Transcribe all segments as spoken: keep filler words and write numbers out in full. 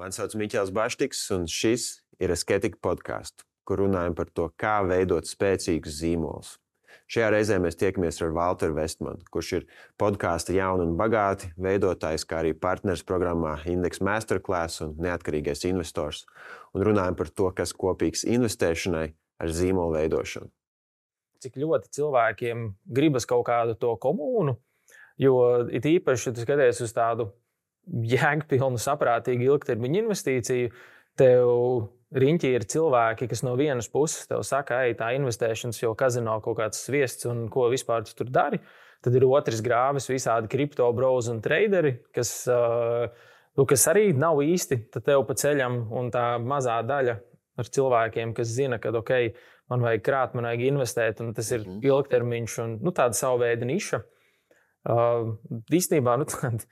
Mani sauc Miķels Baštiks, un šis ir Asketika podcasts, kur runājam par to, kā veidot spēcīgus zīmolus. Šajā reizē mēs tiekamies ar Valteru Vestmanu, kurš ir podkāsta Jauni un bagāti veidotājs, kā arī partners programmā Index Masterclass un neatkarīgais investors, un runājam par to, kas kopīgs investēšanai ar zīmolu veidošanu. Cik ļoti cilvēkiem gribas kaut kādu to komūnu, jo it īpaši, ja tu skaties uz tādu jēgpilnu, saprātīgu ilgtermiņa investīciju, tev riņķī ir cilvēki, kas no vienas puses tev saka, ej, tā investēšanas jau kazino kaut kāds sviests un ko vispār tu tur dari. Tad ir otrs grāvis, visādi kripto brozi un traderi, kas, nu, kas arī nav īsti tev pa ceļam, un tā mazā daļa ar cilvēkiem, kas zina, ka ok, man vajag krāt, man vajag investēt, un tas ir ilgtermiņš un nu, tāda savu veidu niša. Uh, īstenībā, nu tādi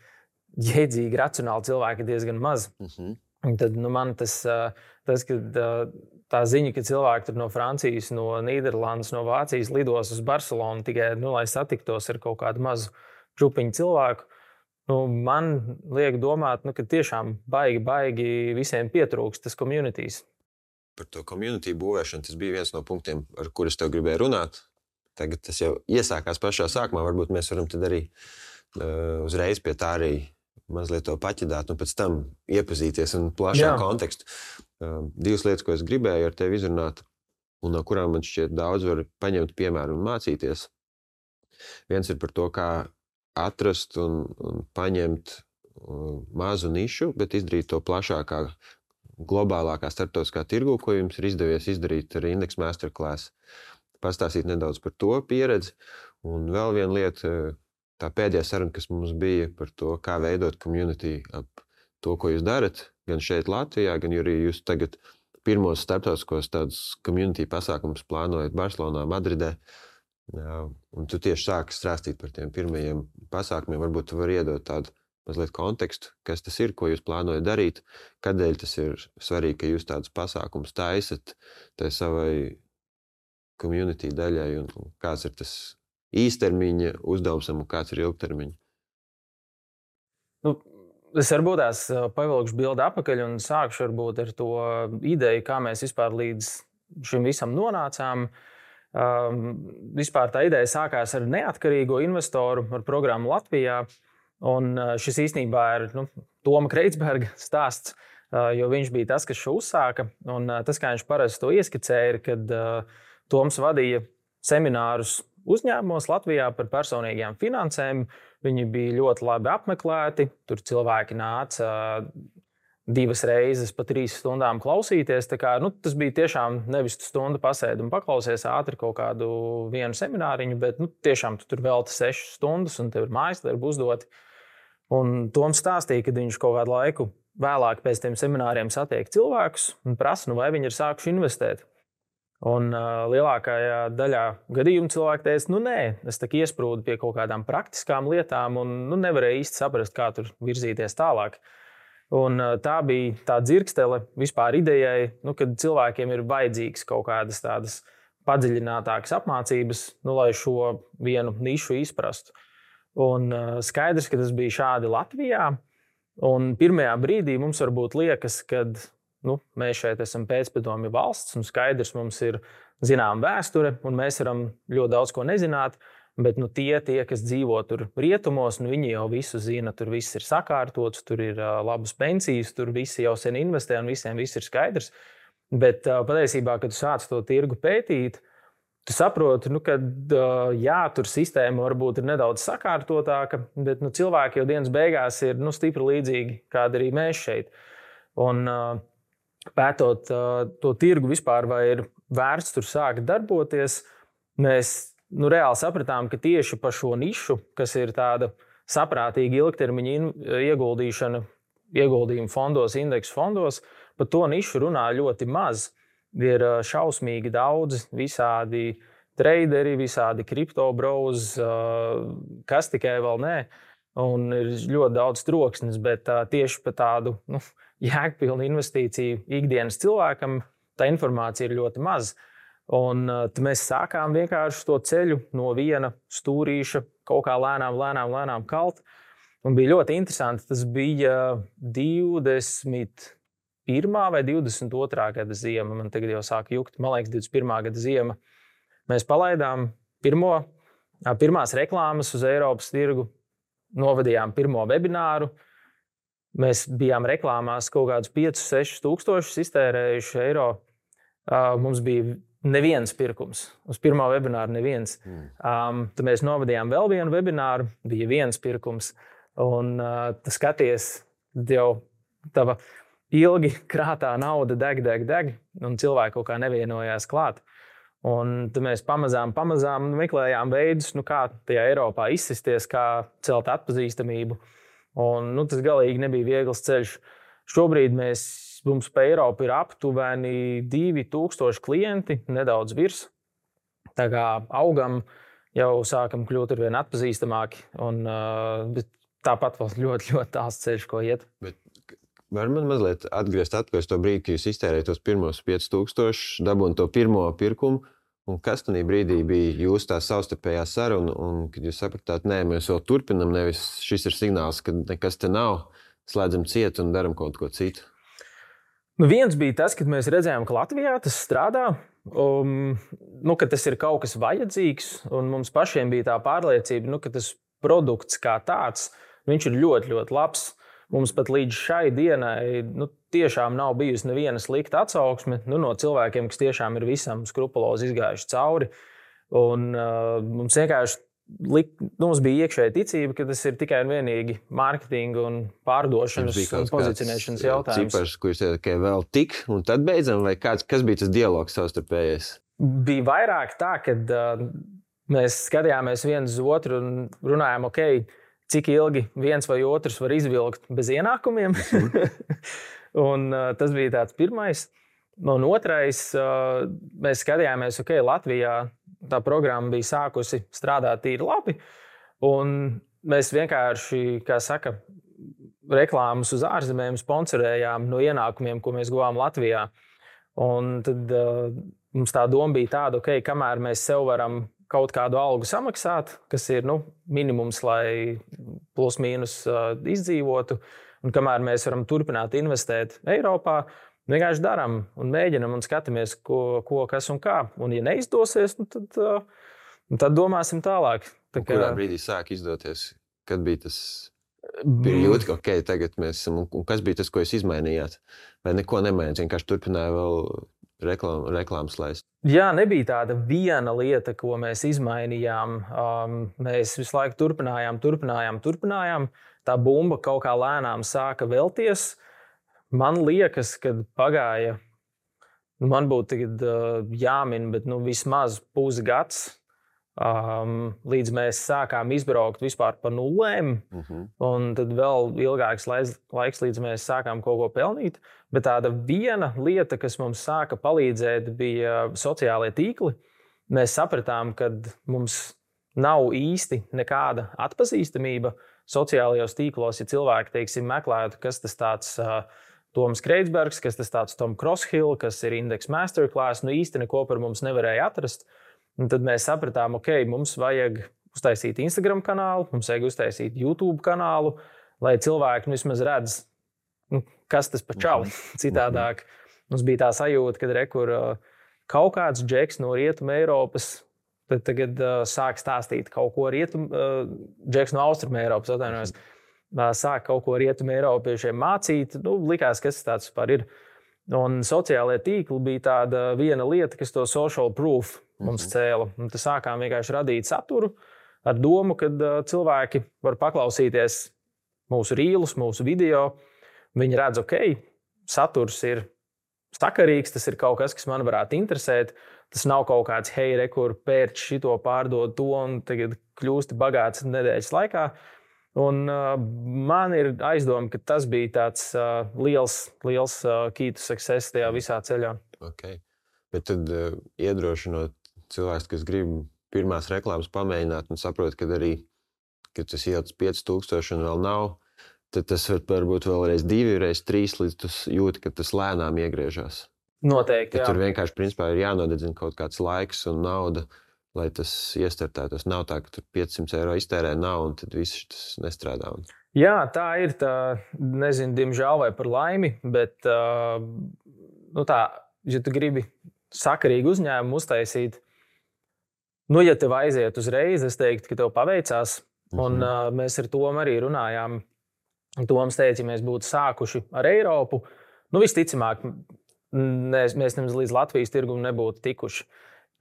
jēdzīgi, racionāli cilvēki diezgan maz. Uh-huh. Un tad nu, man tas, tas kad, tā ziņa, ka cilvēki tur no Francijas, no Nīderlandes, no Vācijas lidos uz Barcelonu tikai, nu, lai satiktos ar kaut kādu mazu čupiņu cilvēku, nu, man liek domāt, nu, ka tiešām baigi, baigi visiem pietrūkst tas communities. Par to community būvēšanu tas bija viens no punktiem, ar kurus tev gribēju runāt. Tagad tas jau iesākās pašā sākumā, varbūt mēs varam tad arī uh, uzreiz pie tā arī mazliet to paķidāt un pēc tam iepazīties un plašā kontekstu. Uh, divas lietas, ko es gribēju ar tevi izrunāt un no kurām man šķiet daudz var paņemt piemēru un mācīties. Viens ir par to, kā atrast un, un paņemt uh, mazu nišu, bet izdarīt to plašākā, globālākā starptautiskā tirgu, ko jums ir izdevies izdarīt ar Index Masterclass. Pastāstīt nedaudz par to pieredzi. Un vēl viena lieta, tā pēdējā saruna, kas mums bija par to, kā veidot community ap to, ko jūs darat, gan šeit Latvijā, gan arī jūs tagad pirmos starptautiskos tādus community pasākumus plānojat Barcelonā, Madridē. Un tu tieši sāki strāstīt par tiem pirmajiem pasākumiem. Varbūt tu vari iedot tādu mazliet kontekstu, kas tas ir, ko jūs plānojat darīt, kādēļ tas ir svarīgi, ka jūs tādus pasākumus taisat tai savai community daļai un kāds ir tas īstermiņa uzdevums un kāds ir ilgtermiņa? Nu, es varbūt tās pavilkšu bildi apakaļ un sākšu varbūt ar to ideju, kā mēs vispār līdz šim visam nonācām. Um, vispār tā ideja sākās ar neatkarīgo investoru, ar programmu Latvijā. Un šis īstenībā ir nu, Toma Kreitsberga stāsts, jo viņš bija tas, kas šo uzsāka. Un tas, kā viņš parasti to ieskicēja, ir, kad Toms vadīja seminārus uzņēmumos Latvijā par personīgajām finansēm. Viņi bija ļoti labi apmeklēti. Tur cilvēki nāca divas reizes pa trīs stundām klausīties. Tā kā, nu, tas bija tiešām nevis stundu pasēdi un paklausies ātri kaut kādu vienu semināriņu, bet nu, tiešām tu tur velti sešas stundas un tev ir mājasdarbi uzdoti. Un Toms stāstīja, ka viņš kaut kādu laiku vēlāk pēc tiem semināriem satiek cilvēkus un prasa, nu, vai viņi ir sākuši investēt. Un uh, lielākajā daļā gadījumu cilvēki teica, nu nē, es tak iesprūdu pie kaut kādām praktiskām lietām un nu, nevarēju īsti saprast, kā tur virzīties tālāk. Un uh, tā bija tā dzirkstele vispār idejai, nu, kad cilvēkiem ir vajadzīgs kaut kādas tādas padziļinātākas apmācības, nu, lai šo vienu nišu izprastu. Un uh, skaidrs, ka tas bija šādi Latvijā. Un pirmajā brīdī mums varbūt liekas, kad nu, mēs šeit esam pēcpadomju valsts un skaidrs mums ir zinām vēsture un mēs varam ļoti daudz ko nezināt, bet nu, tie, tie, kas dzīvo tur rietumos, nu, viņi jau visu zina, tur viss ir sakārtots, tur ir uh, labas pensijas, tur visi jau sen investē un visiem viss ir skaidrs. Bet uh, patiesībā, kad tu sāc to tirgu pētīt, tu saproti, nu, ka jā, tur sistēma varbūt ir nedaudz sakārtotāka, bet nu, cilvēki jau dienas beigās ir nu, stipri līdzīgi, kāda arī mēs šeit. Un pētot to tirgu vispār, vai ir vērts tur sākt darboties, mēs nu, reāli sapratām, ka tieši pa šo nišu, kas ir tāda saprātīga ilgtermiņa ieguldīšana, ieguldījuma fondos, indeksu fondos, pa to nišu runā ļoti maz. Ir šausmīgi daudz visādi traderi, visādi kripto brozi, kas tikai vēl nē. Un ir ļoti daudz troksnes, bet tieši par tādu nu, jēgpilnu investīciju ikdienas cilvēkam tā informācija ir ļoti maz. Un tad mēs sākām vienkārši to ceļu no viena stūrīša kaut kā lēnām, lēnām, lēnām kalt. Un bija ļoti interesanti. Tas bija divdesmit pirmā vai divdesmit otrā gada ziema. Man tagad jau sāk jukt, man liekas, divdesmit pirmā gada ziema. Mēs palaidām pirmo, pirmās reklāmas uz Eiropas tirgu, novadījām pirmo webināru. Mēs bijām reklāmās kaut kādus piecus, sešus tūkstošus iztērējuši eiro. Mums bija neviens pirkums. Uz pirmā webināra neviens. Mm. Um, tad mēs novadījām vēl vienu webināru, bija viens pirkums. Un uh, tu skaties, jau tava ilgi krātā nauda deg, deg, deg, un cilvēki kaut kā nevienojās klāt. Un tad mēs pamazām, pamazām meklējām veidus, nu kā tajā Eiropā izsisties, kā celt atpazīstamību. Un nu, tas galīgi nebija viegls ceļš. Šobrīd mēs, mums pa Eiropu ir aptuveni divi tūkstoši klienti, nedaudz virs. Tā kā augam, jau sākam kļūt ar vien atpazīstamāki. Un, uh, tāpat vēl ļoti, ļoti tāls ceļš, ko iet. Bet var man mazliet atgriezt atpakaļ to brīdi, kad jūs iztērējat tos pirmos piecus tūkstošus, dabūn to pirmo pirkumu, un kas tajā brīdī bija jūsu tā savstarpējā saruna, un kad jūs sapratāt, nē, mēs vēl turpinam, nevis šis ir signāls, ka nekas te nav, slēdzam ciet un daram kaut ko citu? Nu, viens bija tas, kad mēs redzējām, ka Latvijā tas strādā, um, nu, ka tas ir kaut kas vajadzīgs, un mums pašiem bija tā pārliecība, nu, ka tas produkts kā tāds, viņš ir ļoti, ļoti labs. Mums pat līdz šai dienai nu, tiešām nav bijusi neviena slikta atsauksme nu, no cilvēkiem, kas tiešām ir visam skrupulozi izgājuši cauri. Un, uh, mums vienkārši lik, nu, mums bija iekšēja ticība, ka tas ir tikai un vienīgi mārketinga un pārdošanas un pozicionēšanas jautājums. Cipars, ko jūs teicat, ka vēl tik, un tad beidzam, vai kāds, kas bija tas dialogs savstarpējais? Bija vairāk tā, kad uh, mēs skatījāmies viens uz otru un runājām, ok, cik ilgi viens vai otrs var izvilkt bez ienākumiem. un, uh, tas bija tāds pirmais. Un otrais, uh, mēs skatījāmies, ok, Latvijā tā programma bija sākusi strādāt tīri labi. Un mēs vienkārši, kā saka, reklāmas uz ārzemēm sponsorējām no ienākumiem, ko mēs guvām Latvijā. Un tad uh, mums tā doma bija tāda, ok, kamēr mēs sev varam kaut kādu algu samaksāt, kas ir nu, minimums, lai plus mīnus uh, izdzīvotu. Un kamēr mēs varam turpināt investēt Eiropā, vienkārši darām un mēģinam un skatāmies, ko, ko kas un kā. Un ja neizdosies, nu, tad, uh, tad domāsim tālāk. Tā kā... Kurā brīdī sāk izdoties? Kad bija tas jūti, ka ok, tagad mēs esam, un kas bija tas, ko jūs izmainījāt? Vai neko nemainījāt, vienkārši turpināja vēl reklām, reklāmas laist? Jā, nebija tāda viena lieta, ko mēs izmainījām. Um, mēs visu laiku turpinājām, turpinājām, turpinājām. Tā bumba kaut kā lēnām sāka velties. Man liekas, kad pagāja, nu, man būtu tagad uh, jāmin, bet nu, vismaz pusgads, um, līdz mēs sākām izbraukt vispār pa nulēm. Uh-huh. Un tad vēl ilgāks laiks, līdz mēs sākām kaut ko pelnīt. Bet tāda viena lieta, kas mums sāka palīdzēt, bija sociālie tīkli. Mēs sapratām, ka mums nav īsti nekāda atpazīstamība sociālajos tīklos, ja cilvēki, teiksim, meklētu, kas tas tāds uh, Toms Kreitsbergs, kas tas tāds Tom Crosshill, kas ir Index Masterclass, nu īsti neko par mums nevarēja atrast. Un tad mēs sapratām, ok, mums vajag uztaisīt Instagram kanālu, mums vajag uztaisīt YouTube kanālu, lai cilvēki nu, vismaz redz, nu, kas tas pa čali. Citādāk mums bija tā sajūta, ka rekur kaut kāds džeks no Rietuma Eiropas tad tagad uh, sāk stāstīt kaut ko Rietuma, uh, džeks no Austruma Eiropas, atvainojos, uh, sāk kaut ko Rietuma Eiropiešiem mācīt. Nu, likās, kas tas tāds vispār ir. Un sociālajie tīkli bija tāda viena lieta, kas to social proof mums cēla. Un tad sākām vienkārši radīt saturu ar domu, ka uh, cilvēki var paklausīties mūsu rīlus, mūsu video. Viņi redz, ok, saturs ir sakarīgs, tas ir kaut kas, kas man varētu interesēt. Tas nav kaut kāds, hei, re, kur pērč šito, pārdod to un tagad kļūsti bagāts nedēļas laikā. Un uh, man ir aizdoma, ka tas bija tāds uh, liels, liels uh, key to success tajā visā ceļā. Okay. Bet tad uh, iedrošinot cilvēks, kas grib pirmās reklāmas pamēģināt un saprot, ka arī, kad tas ielic pieci tūkstoši un vēl nav, tad tas var varbūt vēlreiz divi, reiz trīs, līdz tu jūti, ka tas lēnām iegriežās. Noteikti, jā. Tur vienkārši, principā, ir jānodedzina kaut kāds laiks un nauda, lai tas iestartētos. Nav tā, ka tur piecsimt eiro iztērē nav un tad viss tas nestrādā. Jā, tā ir. Tā, nezinu, diemžēl vai par laimi, bet uh, nu tā, ja tu gribi sakarīgu uzņēmumu uztaisīt, nu, ja tev aiziet uzreiz, es teiktu, ka tev paveicās. Un Mhm. uh, mēs ar Tomu arī runājām. Toms teica, ja mēs būtu sākuši ar Eiropu, nu, visticamāk, ne, mēs nemaz līdz Latvijas tirgumu nebūtu tikuši.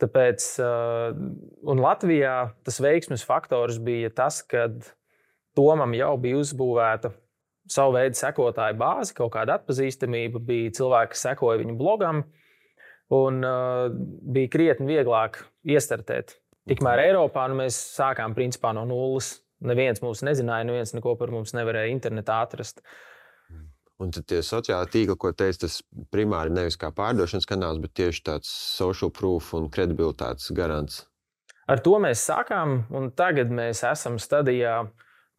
Tāpēc, uh, un Latvijā tas veiksmes faktors bija tas, ka Tomam jau bija uzbūvēta savu veidu sekotāju bāzi, kaut kāda atpazīstamība, bija cilvēki, kas sekoja viņu blogam, un uh, bija krietni vieglāk iestartēt. Tikmēr Eiropā nu, mēs sākām principā no nulles. Neviens mūs nezināja, neviens neko par mums nevarēja internetā atrast. Un tad tie sociāli tīkli, ko teica, tas primāri nevis kā pārdošanas kanāls, bet tieši tāds social proof un kredibilitātes garants. Ar to mēs sākām, un tagad mēs esam stadijā,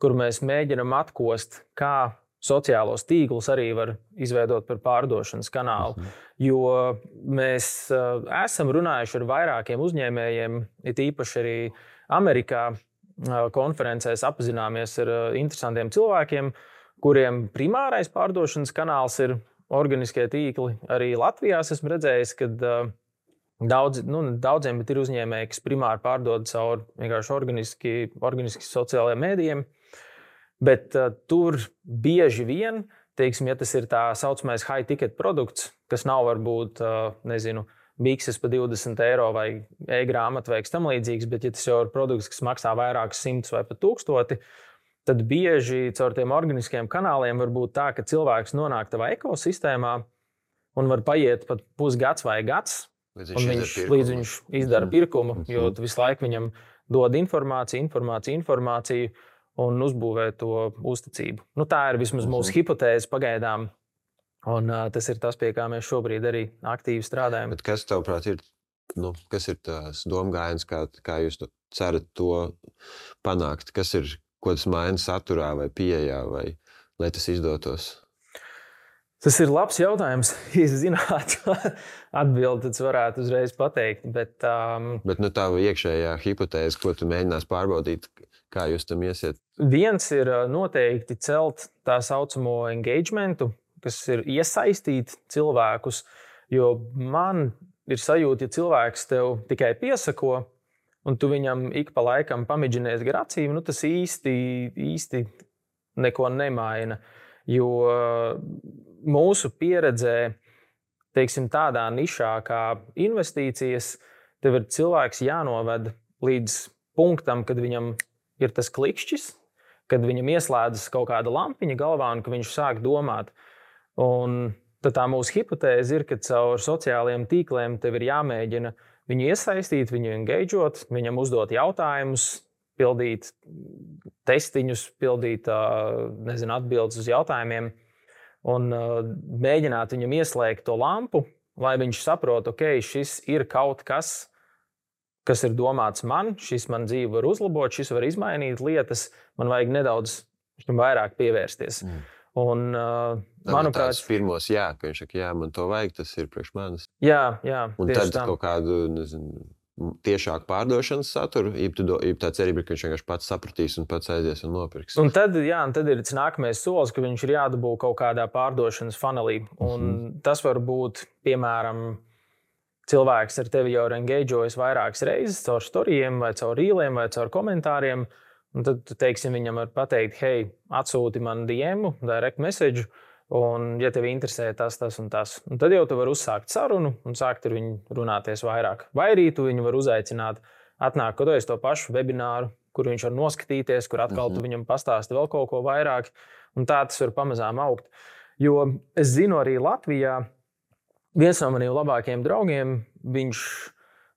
kur mēs mēģinam atkost, kā sociālos tīklus arī var izveidot par pārdošanas kanālu. Mhm. Jo mēs uh, esam runājuši ar vairākiem uzņēmējiem, it īpaši arī Amerikā uh, konferencēs apzināmies ar uh, interesantiem cilvēkiem, kuriem primārais pārdošanas kanāls ir organiskie tīkli. Arī Latvijā esmu redzējis, ka uh, daudz, nu, daudziem ir uzņēmēji, kas primāri pārdod caur vienkārši organiski, organiski sociālajiem mēdījiem. Bet uh, tur bieži vien, teiksim, ja tas ir tā saucamais high ticket produkts, kas nav varbūt, uh, nezinu, bikses par divdesmit eiro vai e-grāmata vai kas tam līdzīgs, bet ja tas jau ir produkts, kas maksā vairākus simtus vai pat tūkstoti, tad bieži caur tiem organiskiem kanāliem var būt tā, ka cilvēks nonāk tavā ekosistēmā un var paiet pat pusgads vai gads, Līdz un viņš, līdz viņš izdara pirkumu, jo tu visu laiku viņam dod informāciju, informāciju, informāciju, un uzbūvē to uzticību. Nu, tā ir vismaz mūsu uh-huh. hipotēze pagaidām, un uh, tas ir tas, pie kā mēs šobrīd arī aktīvi strādājam. Bet kas, tavuprāt, ir, nu, kas ir tās domgājiens, kā, kā jūs to cerat to panākt? Kas ir, ko tas maina saturā vai pieejā, vai lai tas izdotos? Tas ir labs jautājums. Ja es zinātu atbildi, tad es varētu uzreiz pateikt. Bet, um, bet nu, tā iekšējā hipotēze, ko tu mēģinās pārbaudīt, kā jūs tam iesiet? Viens ir noteikti celt tā saucamo engagementu, kas ir iesaistīt cilvēkus. Jo man ir sajūta, ja cilvēks tev tikai piesako, un tu viņam ik pa laikam pamidžinies gar acīm, nu, tas īsti, īsti neko nemaina. Jo mūsu pieredzē, teiksim, tādā nišā kā investīcijas, tev ir cilvēks jānoved līdz punktam, kad viņam ir tas klikšķis, kad viņam ieslēdzas kaut kāda lampiņa galvā un ka viņš sāk domāt. Un tad tā mūsu hipotēze ir, ka caur sociālajiem tīkliem tev ir jāmēģina viņu iesaistīt, viņu engageot, viņam uzdot jautājumus, pildīt testiņus, pildīt nezinu, atbildes uz jautājumiem un mēģināt viņam ieslēgt to lampu, lai viņš saprot, ok, šis ir kaut kas, kas ir domāts man, šis man dzīvi var uzlabot, šis var izmainīt lietas, man vajag nedaudz vairāk pievērsties. Mm. Un, uh, manuprāt, tas pirmos jā, ka viņš saka, jā, man to vajag, tas ir priekš manis. Jā, jā. Un tad tam. Kaut kādu, nezinu, tiešāku pārdošanas saturu, ja tā cerība ir, ka viņš vienkārši pats sapratīs un pats aizies un nopirks. Un tad, jā, un tad ir tas nākamais solis, ka viņš ir jādabū kaut kādā pārdošanas funnelī. Un mm-hmm. tas var būt, piemēram, cilvēks ar tevi jau ir engageojis vairākas reizes caur storijiem vai caur rīliem vai caur komentāriem. Un tad, teiksim, viņam var pateikt, hei, atsūti man D M, direct message, un, ja tev interesē tas, tas un tas. Un tad jau tu vari uzsākt sarunu un sākt ar viņu runāties vairāk. Vai arī tu viņu var uzaicināt, atnāk kaut kādu to pašu webināru, kur viņš var noskatīties, kur atkal mm-hmm. tu viņam pastāsti vēl kaut ko vairāk. Un tā tas var pamazām augt. Jo es zinu arī Latvijā, viens no maniem labākajiem draugiem, viņš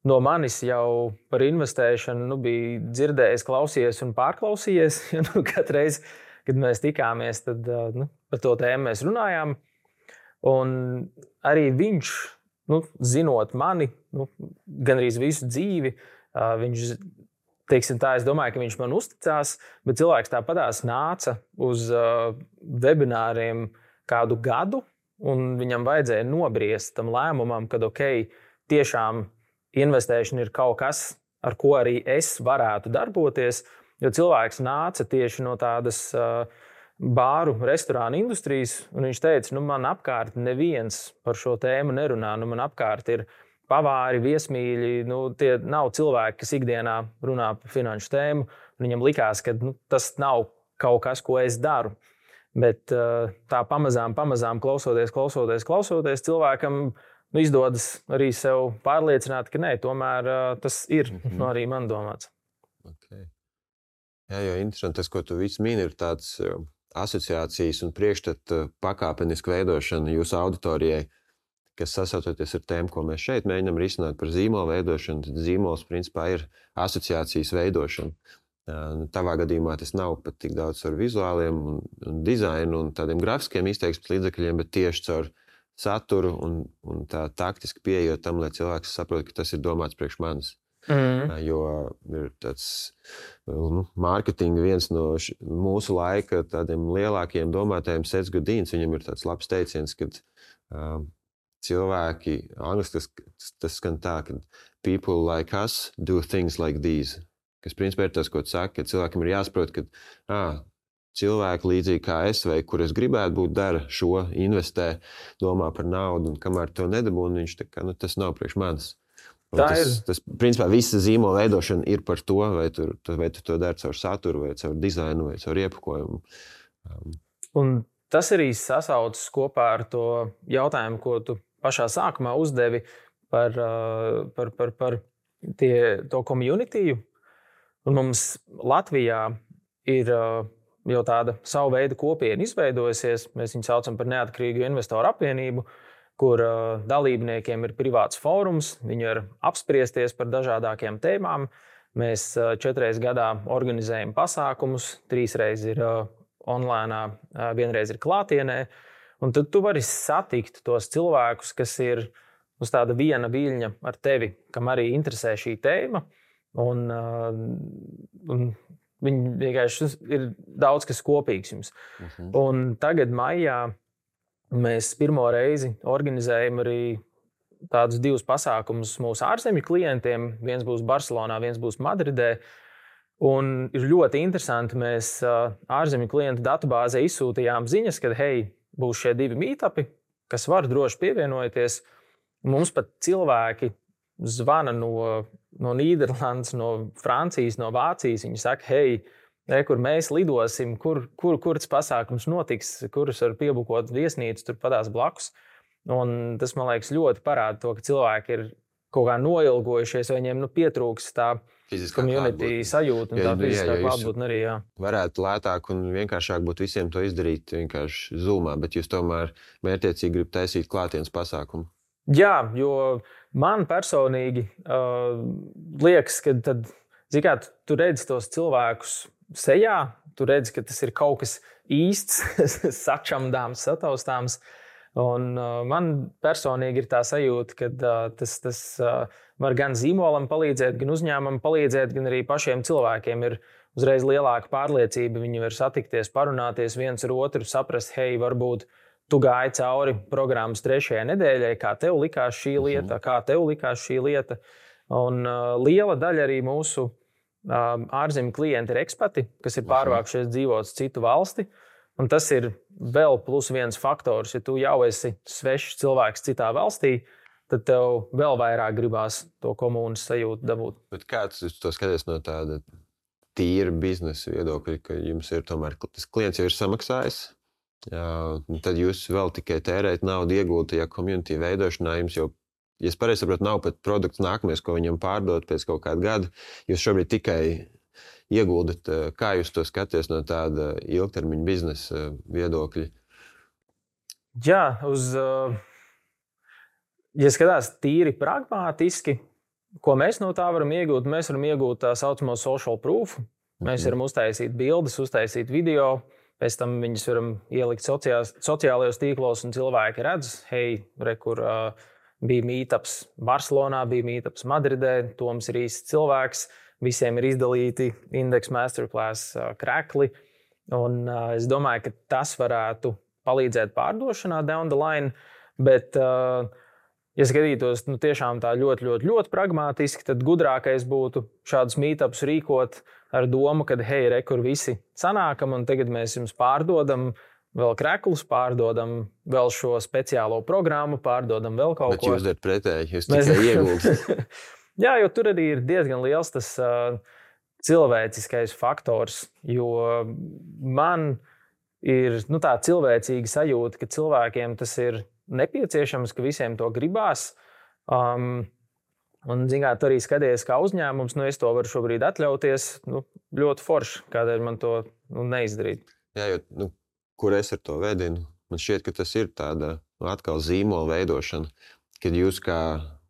no manis jau par investēšanu nu, bija dzirdējis, klausījies un pārklausījies. Nu, katru reizi, kad mēs tikāmies, tad nu, par to tēmu mēs runājām. Un arī viņš, nu, zinot mani, nu, gandrīz visu dzīvi, viņš, teiksim tā, es domāju, ka viņš man uzticās, bet cilvēks tāpatās nāca uz webināriem kādu gadu, un viņam vajadzēja nobriest tam lēmumam, kad ok, tiešām investēšana ir kaut kas, ar ko arī es varētu darboties, jo cilvēks nāca tieši no tādas uh, bāru, restorānu industrijas, un viņš teica, nu man apkārt neviens par šo tēmu nerunā, nu man apkārt ir pavāri, viesmīļi, nu tie nav cilvēki, kas ikdienā runā par finanšu tēmu, un viņam likās, ka nu, tas nav kaut kas, ko es daru. Bet tā pamazām, pamazām klausoties, klausoties, klausoties, cilvēkam nu, izdodas arī sev pārliecināt, ka nē, tomēr tas ir mm-hmm. nu, arī man domāts. Okay. Jā, jo interesanti, tas, ko tu visu mini, ir tāds asociācijas un priekšstatu pakāpenisku veidošana jūsu auditorijai, kas sasaucoties ar tēmu, ko mēs šeit mēģinām risināt par zīmolu veidošanu, tad zīmols principā ir asociācijas veidošana. Tavā gadījumā tas nav pat tik daudz ar vizuāliem un, un dizainu un tādiem grafiskiem izteiksmes līdzekļiem, bet tieši caur saturu un, un tā taktiski pieejot tam, lai cilvēks saprot, ka tas ir domāts priekš manis. Mm. Jo ir tāds nu, mārketinga viens no š, mūsu laika tādiem lielākiem domātājiem Seth Godins, viņam ir tāds labs teiciens, kad uh, cilvēki, angliski tas, tas skan tā, ka people like us do things like these, kas principā ir tas, ko tu saki, ka cilvēkam ir jāsaprot, ka ā, cilvēki līdzīgi kā es vai kur es gribētu būt dara šo, investē, domā par naudu un kamēr to nedabūnu, viņš tā kā, nu, tas nav priekš manis. Tas, ir... tas, principā, visa zīmola veidošana ir par to, vai tu, vai tu to dari caur saturu, vai caur dizainu, vai caur iepakojumu. Um. Un tas arī sasaucas kopā ar to jautājumu, ko tu pašā sākumā uzdevi par, par, par, par tie, to communitiju. Un mums Latvijā ir jau tāda savu veidu kopiena izveidojusies. Mēs viņu saucam par neatkarīgu investoru apvienību, kur uh, dalībniekiem ir privāts fórums, viņi var apspriesties par dažādākiem tēmām. Mēs uh, četreiz gadā organizējam pasākumus, trīsreiz ir uh, online, uh, vienreiz ir klātienē. Un tad tu vari satikt tos cilvēkus, kas ir uz tāda viena viļņa ar tevi, kam arī interesē šī tēma. Un, uh, un viņi vienkārši ir daudz kas kopīgs jums. Uh-huh. Un tagad maijā mēs pirmo reizi organizējam arī tādus divus pasākumus mūsu ārzemju klientiem. Viens būs Barcelonā, viens būs Madridē. Un ir ļoti interesanti, mēs ārzemju klientu datubāzē izsūtījām ziņas, ka, hei, būs šie divi meetupi, kas var droši pievienoties. Mums pat cilvēki zvana no, no Nīderlandes, no Francijas, no Vācijas. Viņi saka, hei, Ne, kur mēs lidosim, kur, kur, kur tas pasākums notiks, kurus var piebukot viesnīcu, tur padās blakus. Un tas, man liekas, ļoti parāda to, ka cilvēki ir kaut kā noilgojušies, vai viņiem nu, pietrūks tā community sajūta un tā fiziskā klātbūtne arī. Jā. Varētu lētāk un vienkāršāk būt visiem to izdarīt vienkārši Zoomā, bet jūs tomēr mērķiecīgi gribat taisīt klātienes pasākumu. Jā, jo man personīgi uh, liekas, ka tad, zin kā, tu redzi tos cilvēkus sejā, tu redzi, ka tas ir kaut kas īsts, sačamdāms, sataustāms. Un uh, man personīgi ir tā sajūta, ka uh, tas, tas uh, var gan zīmolam palīdzēt, gan uzņēmumam palīdzēt, gan arī pašiem cilvēkiem ir uzreiz lielāka pārliecība. Viņi var satikties, parunāties viens ar otru, saprast, hei, varbūt tu gāji cauri programmas trešajai nedēļai, kā tev likās šī lieta, mm-hmm. kā tev likās šī lieta. Un uh, liela daļa arī mūsu ārzemju klienti ir ekspati, kas ir pārvākušies dzīvot citu valsti. Un tas ir vēl plus viens faktors. Ja tu jau esi svešs cilvēks citā valstī, tad tev vēl vairāk gribās to komunas sajūtu dabūt. Bet kā tu to skaties no tāda tīra biznesa viedokļa, ka jums ir tomēr tas klients jau ir samaksājis, jā, tad jūs vēl tikai tērēt naudu iegūt tajā community veidošanā, jums jau ja es pareizi saprotu, nav pat produkts nākamies, ko viņam pārdot pēc kaut kāda gada. Jūs šobrīd tikai ieguldat, kā jūs to skaties no tāda ilgtermiņa biznesa viedokļa? Jā, uz, ja skatās tīri pragmātiski, ko mēs no tā varam iegūt, mēs varam iegūt tā saucamo social proof. Mēs varam uztaisīt bildes, uztaisīt video, pēc tam viņas varam ielikt sociās, sociālajos tīklos un cilvēki redz, hei, re, kur uh, bija meetups Barcelonā, bija meetups Madridē, Toms ir īsts cilvēks, visiem ir izdalīti Index Masterclass krekli. Un uh, es domāju, ka tas varētu palīdzēt pārdošanā down the line, bet uh, ja skatītos nu, tiešām tā ļoti, ļoti, ļoti pragmatiski, tad gudrākais būtu šādus meetups rīkot ar domu, ka, hei, re, kur visi sanākam, un tagad mēs jums pārdodam vēl kreklus, pārdodam vēl šo speciālo programmu, pārdodam vēl kaut Bet ko. Bet jūs darat pretēji, jūs tikai ieguldat. Jā, jo tur arī ir diezgan liels tas uh, cilvēciskais faktors, jo man ir nu, tā cilvēcīga sajūta, ka cilvēkiem tas ir nepieciešams, ka visiem to gribās. Um, un, zināt, tu arī skaties kā uzņēmums, nu es to varu šobrīd atļauties, nu, ļoti forši, kādēļ man to nu, neizdarīt. Jā, jo, nu, kur es ar to vedinu, man šķiet, ka tas ir tāda nu, atkal zīmola veidošana, kad jūs kā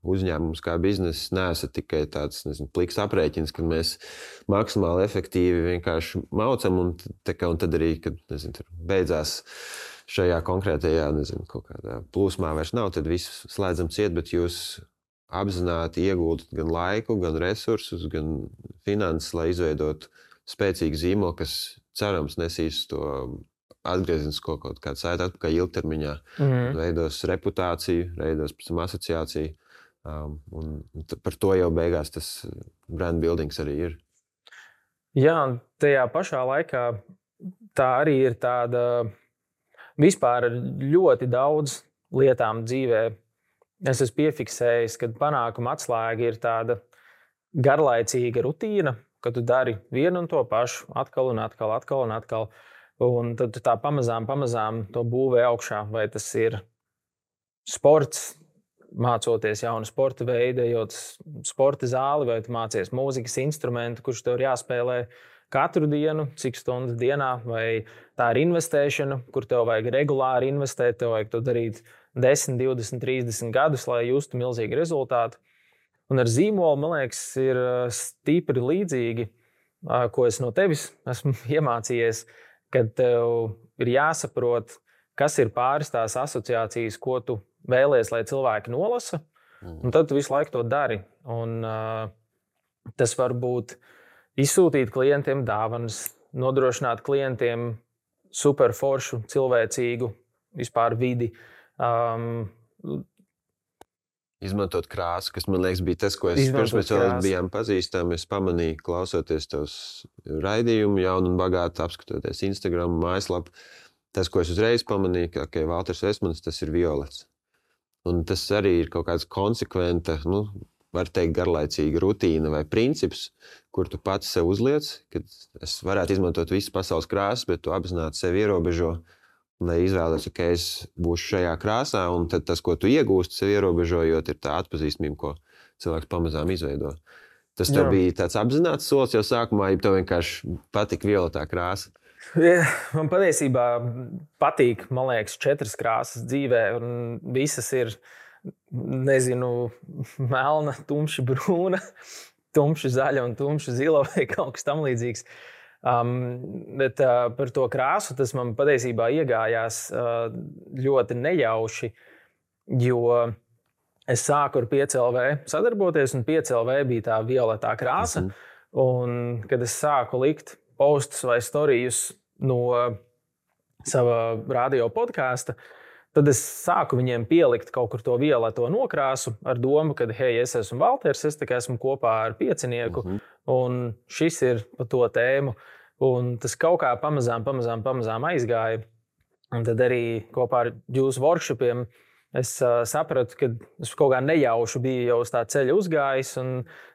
uzņēmums, kā bizness neesat tikai tāds, nezinu, pliks aprēķins, kad mēs maksimāli efektīvi vienkārši maucam un, kā, un tad arī, kad, nezinu, beidzās šajā konkrētajā, nezinu, kaut kādā plūsmā vairs nav, tad visu slēdzam ciet, bet jūs apzināti ieguldat gan laiku, gan resursus, gan finanses, lai izveidotu spēcīgu zīmolu, kas cerams nesīs to atgriezenisko kaut kādu saiti atpakaļ ilgtermiņā, mm. veidos reputāciju, veidos pēc tam asociāciju, um, un par to jau beigās tas brand buildings arī ir. Jā, un tajā pašā laikā tā arī ir tāda vispār ļoti daudz lietām dzīvē. Es esmu piefiksējis, ka panākuma atslēga ir tāda garlaicīga rutīna, ka tu dari vienu un to pašu atkal un atkal, atkal un atkal. Un tad tu tā pamazām, pamazām to būvē augšā. Vai tas ir sports, mācoties jaunu sporta veidu, ejot sporta zāli, vai tu mācies mūzikas instrumentu, kurš tev ir jāspēlē katru dienu, cik stundas dienā, vai tā ir investēšana, kur tev vajag regulāri investēt, tev vajag to darīt desmit, divdesmit, trīsdesmit gadus, lai justu milzīgu rezultātu. Un ar zīmolu, man liekas, ir stipri līdzīgi, ko es no tevis esmu iemācījies, kad tev ir jāsaprot, kas ir pāris tās asociācijas, ko tu vēlies, lai cilvēki nolasa, un tad tu visu laiku to dari. Un, uh, tas var būt izsūtīt klientiem dāvanas, nodrošināt klientiem superforšu, cilvēcīgu vispār vidi. Um, Izmantot krāsu, kas, man liekas, bija tas, ko es pirms mēs vēl bijām pazīstami. Es pamanīju, klausoties tavs raidījumu jaunu un bagātu, apskatoties Instagram, mājaslapu. Tas, ko es uzreiz pamanīju, ka okay, Valters Vestmans, tas ir violets. Un tas arī ir kaut kāds konsekventa, nu, var teikt, garlaicīga rutīna vai princips, kur tu pats sev uzliec, kad es varētu izmantot visas pasaules krāsas, bet tu apzināti sevi ierobežo, lai izvēlēties, ka es būšu šajā krāsā, un tad tas, ko tu iegūsti sev ierobežojot, ir tā atpazīstamība, ko cilvēks pamazām izveido. Tas tev Jā. bija tāds apzināts solis jau sākumā, ja tev vienkārši patika violetā krāsa? Ja, man patiesībā patīk, man liekas, četras krāsas dzīvē, un visas ir, nezinu, melna, tumši brūna, tumši zaļa un tumši zila vai kaut kas tam līdzīgs. Um, bet uh, par to krāsu tas man patiesībā iegājās uh, ļoti nejauši, jo es sāku ar pieci L V sadarboties, un pieci L V bija tā violetā krāsa. Mm-hmm. Un kad es sāku likt postus vai storijus no sava radio podkāsta, tad es sāku viņiem pielikt kaut kur to violeto nokrāsu ar domu, ka, hei, es esmu Valters, es tikai esmu kopā ar piecinieku, mm-hmm. un šis ir pa to tēmu. Un tas kaut kā pamazām, pamazām, pamazām aizgāja. Un tad arī kopā ar jūsu workshopiem es uh, sapratu, ka es kaut kā nejauši biju jau uz tā ceļa uzgājis, un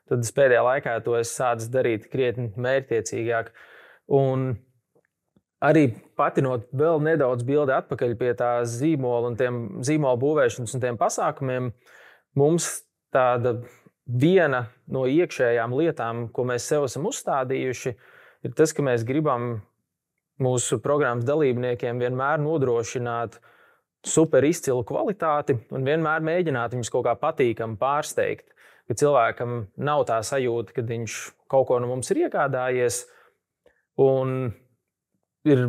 tad es pēdējā laikā to es sācis darīt krietni mērķtiecīgāk. Un arī patinot vēl nedaudz bildi atpakaļ pie tā zīmola un tiem zīmola būvēšanas un tiem pasākumiem, mums tāda viena no iekšējām lietām, ko mēs sev esam uzstādījuši, ir tas, ka mēs gribam mūsu programmas dalībniekiem vienmēr nodrošināt super izcilu kvalitāti un vienmēr mēģināt viņus kaut kā patīkami pārsteigt. Ka cilvēkam nav tā sajūta, ka viņš kaut ko no mums ir iegādājies un ir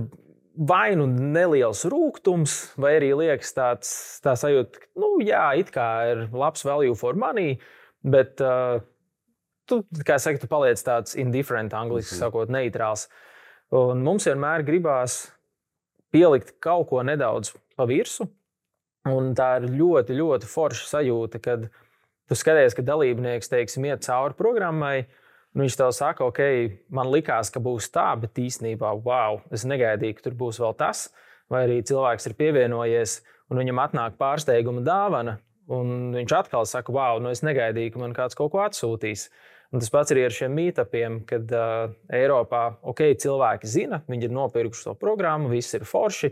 vai nu neliels rūgtums, vai arī liekas tāds, tā sajūta, ka, nu jā, it kā ir labs value for money, bet uh, tu, kā saka, tu paliec tāds indifferent, angliski sakot, neitrāls. Un mums vienmēr gribās pielikt kaut ko nedaudz pa virsu, Un tā ir ļoti, ļoti forša sajūta, kad tu skaties, ka dalībnieks, teiksim, iet cauri programmai, un viņš tev saka, ok, man likās, ka būs tā, bet īstenībā, wow, es negaidīju, ka tur būs vēl tas, vai arī cilvēks ir pievienojies, un viņam atnāk pārsteiguma dāvana, un viņš atkal saka, wow, nu es negaidīju, ka man kāds kaut ko atsūtīs. Un tas pats arī ar šiem meetupiem, kad uh, Eiropā, ok, cilvēki zina, viņi ir nopirkuši to programmu, viss ir forši.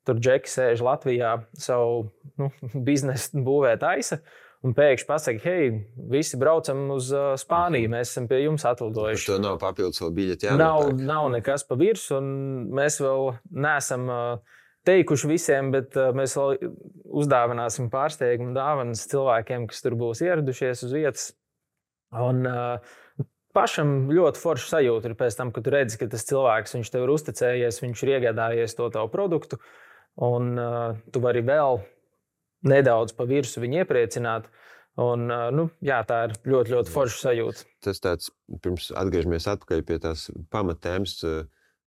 Tur džeki sēž Latvijā savu nu, biznesu būvē taisa, un pēkšņi pasaka, hei, visi braucam uz uh, Spāniju, mēs esam pie jums atlidojuši. Par to nav papildus vēl biļeti nav, nav nekas pa virsmu, un mēs vēl neesam uh, teikuši visiem, bet uh, mēs vēl uzdāvināsim pārsteigumu dāvanas cilvēkiem, kas tur būs ieradušies uz vietas. Un uh, pašam ļoti forša sajūta ir pēc tam, kad tu redzi, ka tas cilvēks, viņš tev ir uzticējies, viņš ir iegādājies to tavu produktu, un uh, tu vari vēl nedaudz pa virsu viņu iepriecināt. Un, uh, nu, jā, tā ir ļoti, ļoti forša sajūta. Tas tāds, pirms atgriežamies atpakaļ pie tās pamatēmas,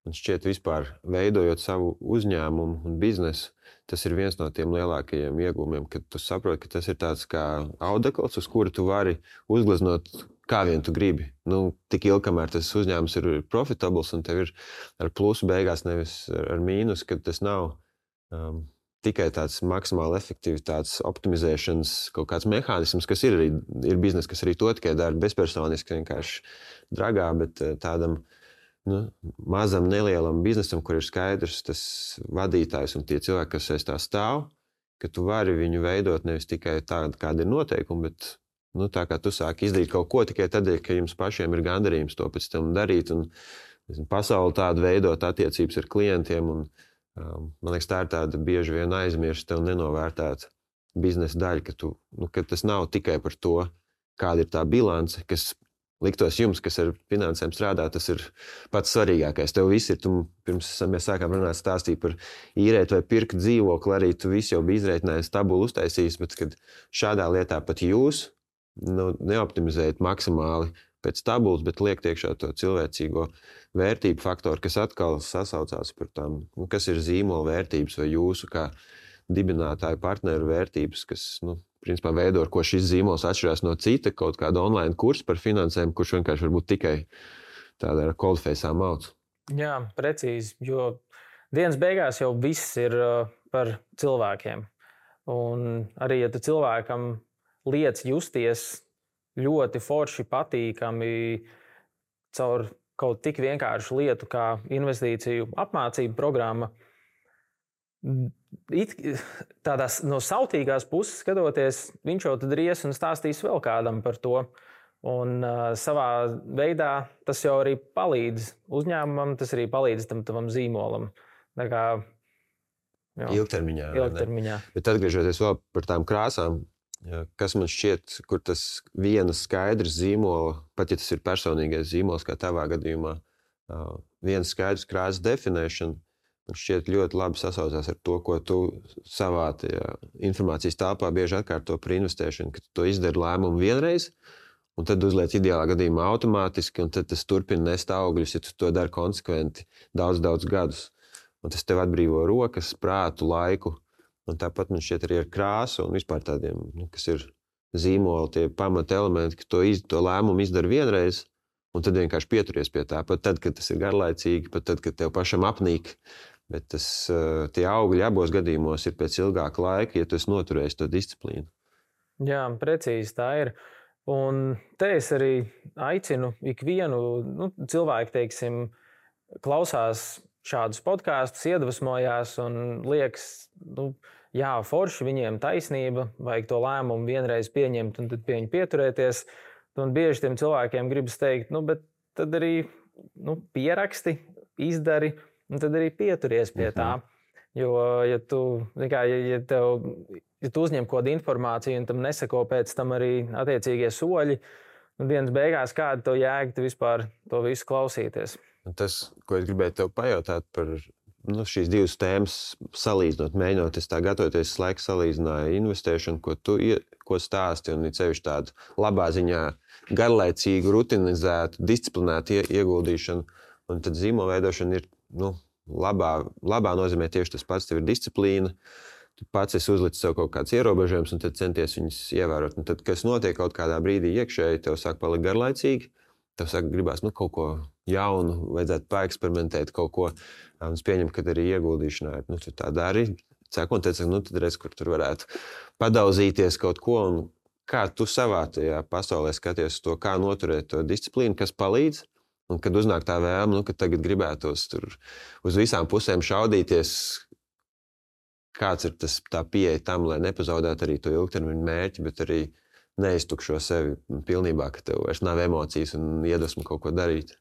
man šķiet vispār veidojot savu uzņēmumu un biznesu, tas ir viens no tiem lielākajiem iegūmiem, kad tu saproti, ka tas ir tāds kā audekls, uz kuru tu vari uzgleznot kā vien tu gribi. Nu, tik ilgi, kamēr tas uzņēmums ir profitables un tev ir ar plusu beigās, nevis ar mīnus, kad tas nav um, tikai tāds maksimāli efektivitātes optimizēšanas kaut kāds mehānisms, kas ir arī ir biznes, kas arī to tikai dara bezpersoniski, vienkārši dragā, bet tādam nu, mazam, nelielam biznesam, kur ir skaidrs tas vadītājs un tie cilvēki, kas aiz tā stāv, ka tu vari viņu veidot nevis tikai tādu, kāda ir noteikumi, bet nu, tā kā tu sāki izdarīt kaut ko tikai tādēļ, ka jums pašiem ir gandarījums to pēc tam darīt un nezinu, pasauli tādu veidot attiecības ar klientiem. Un, um, man liekas, tā ir tāda bieži vien aizmirsta un nenovērtēta biznesa daļa, ka, tu, nu, ka tas nav tikai par to, kāda ir tā bilance, kas liktos jums, kas ar finansēm strādā, tas ir pats svarīgākais. Tev viss ir, tu, pirms mēs sākām runāt stāstīt par īrēt vai pirkt dzīvokli, arī tu viss jau bija izreitinājis, tabulu uztaisījis, bet kad šādā lietā pat jūs nu, neoptimizējat maksimāli pēc tabulas, bet liekt iekšā to cilvēcīgo vērtību faktoru, kas atkal sasaucās par tām, nu, kas ir zīmola vērtības vai jūsu kā dibinātāju partneru vērtības, kas, nu, principā veido, ar ko šis zīmols atšķirās no cita, kaut kāda online kursa par finansēm, kurš vienkārši varbūt tikai tāda ar coldface'ām mauc. Jā, precīzi, jo dienas beigās jau viss ir par cilvēkiem. Un arī, ja tu cilvēkam liec justies ļoti forši patīkami caur kaut tik vienkāršu lietu kā investīciju apmācību programma, It, tādās no sautīgās puses skatoties, viņš jau tad ries un stāstīs vēl kādam par to. Un uh, savā veidā tas jau arī palīdz uzņēmumam, tas arī palīdz tam tavam zīmolam. Tā kā, jo, ilgtermiņā. ilgtermiņā. Bet atgriežoties vēl par tām krāsām, kas man šķiet, kur tas viena skaidrs zīmola, pat ja tas ir personīgais zīmols, kā tavā gadījumā, uh, viena skaidrs krāsas definēšana, man šķiet ļoti labi sasaucās ar to, ko tu savā tajā informācijas telpā bieži atkārto par investēšanu, ka tu to izdari lēmumu vienreiz, un tad uzliec ideālā gadījumā automātiski, un tad tas turpina nest augļus, ja tu to dari konsekventi daudz, daudz gadus. Un tas tev atbrīvo rokas, prātu, laiku, un tāpat man šķiet arī ar krāsu un vispār tādiem, nu, kas ir zīmoli, tie pamata elementi, ka to, iz, to lēmumu izdari vienreiz, un tad vienkārši pieturies pie tā, pat tad, kad tas ir garlaicīgi, pat tad, kad tev pašam apnīk. Bet tas, tie augļi abos gadījumos ir pēc ilgāka laika, ja tu esi noturējis to disciplīnu. Jā, precīzi tā ir. Un te es arī aicinu ikvienu nu, cilvēku, teiksim, klausās šādus podkāstus, iedvesmojās un liekas, nu, jā, forši, viņiem taisnība, vajag to lēmumu vienreiz pieņemt un tad pie viņu pieturēties. Un bieži tiem cilvēkiem gribas teikt, nu, bet tad arī nu, pieraksti, izdari, un tad arī pieturies pie tā. Jo, ja tu, kā, ja, ja tev, ja tu uzņem kaut kādu informāciju un tam neseko pēc tam arī attiecīgie soļi, un dienas beigās kāda to jēga tu vispār to visu klausīties. Un tas, ko es gribēju tev pajautāt par nu, šīs divas tēmas salīdzinot, mēģinot, es tā gatavoties laiku salīdzināju investēšanu, ko tu ko stāsti, un it sevišķi tādu labā ziņā garlaicīgu, rutinizētu, disciplinētu ieguldīšanu, un tad zīmola veidošana ir nu, labā, labā nozīmē tieši tas pats, tev ir disciplīna, tu pats esi uzlicis sev kaut kāds ierobežojums un tad centies viņus ievērot. Un tad, kas notiek kaut kādā brīdī iekšēji, tev sāk palikt garlaicīgi, tev sāk gribās nu, kaut ko jaunu, vajadzētu paeksperimentēt kaut ko. Un es pieņemu, ka arī ieguldīšanā nu, tu tā dari. Cēkot, teicu, nu tad redz, kur tur varētu padauzīties kaut ko. Un kā tu savā tajā pasaulē skaties to, kā noturēt to disciplīnu, kas palīdz. Un kad uznāk tā vēlme, nu, ka tagad gribētos tur uz visām pusēm šaudīties, kāds ir tas tā pieeja tam, lai nepazaudētu arī to ilgtermiņu mērķi, bet arī neiztukšo sevi pilnībā, ka tev vairs nav emocijas un iedvesmu kaut ko darīt.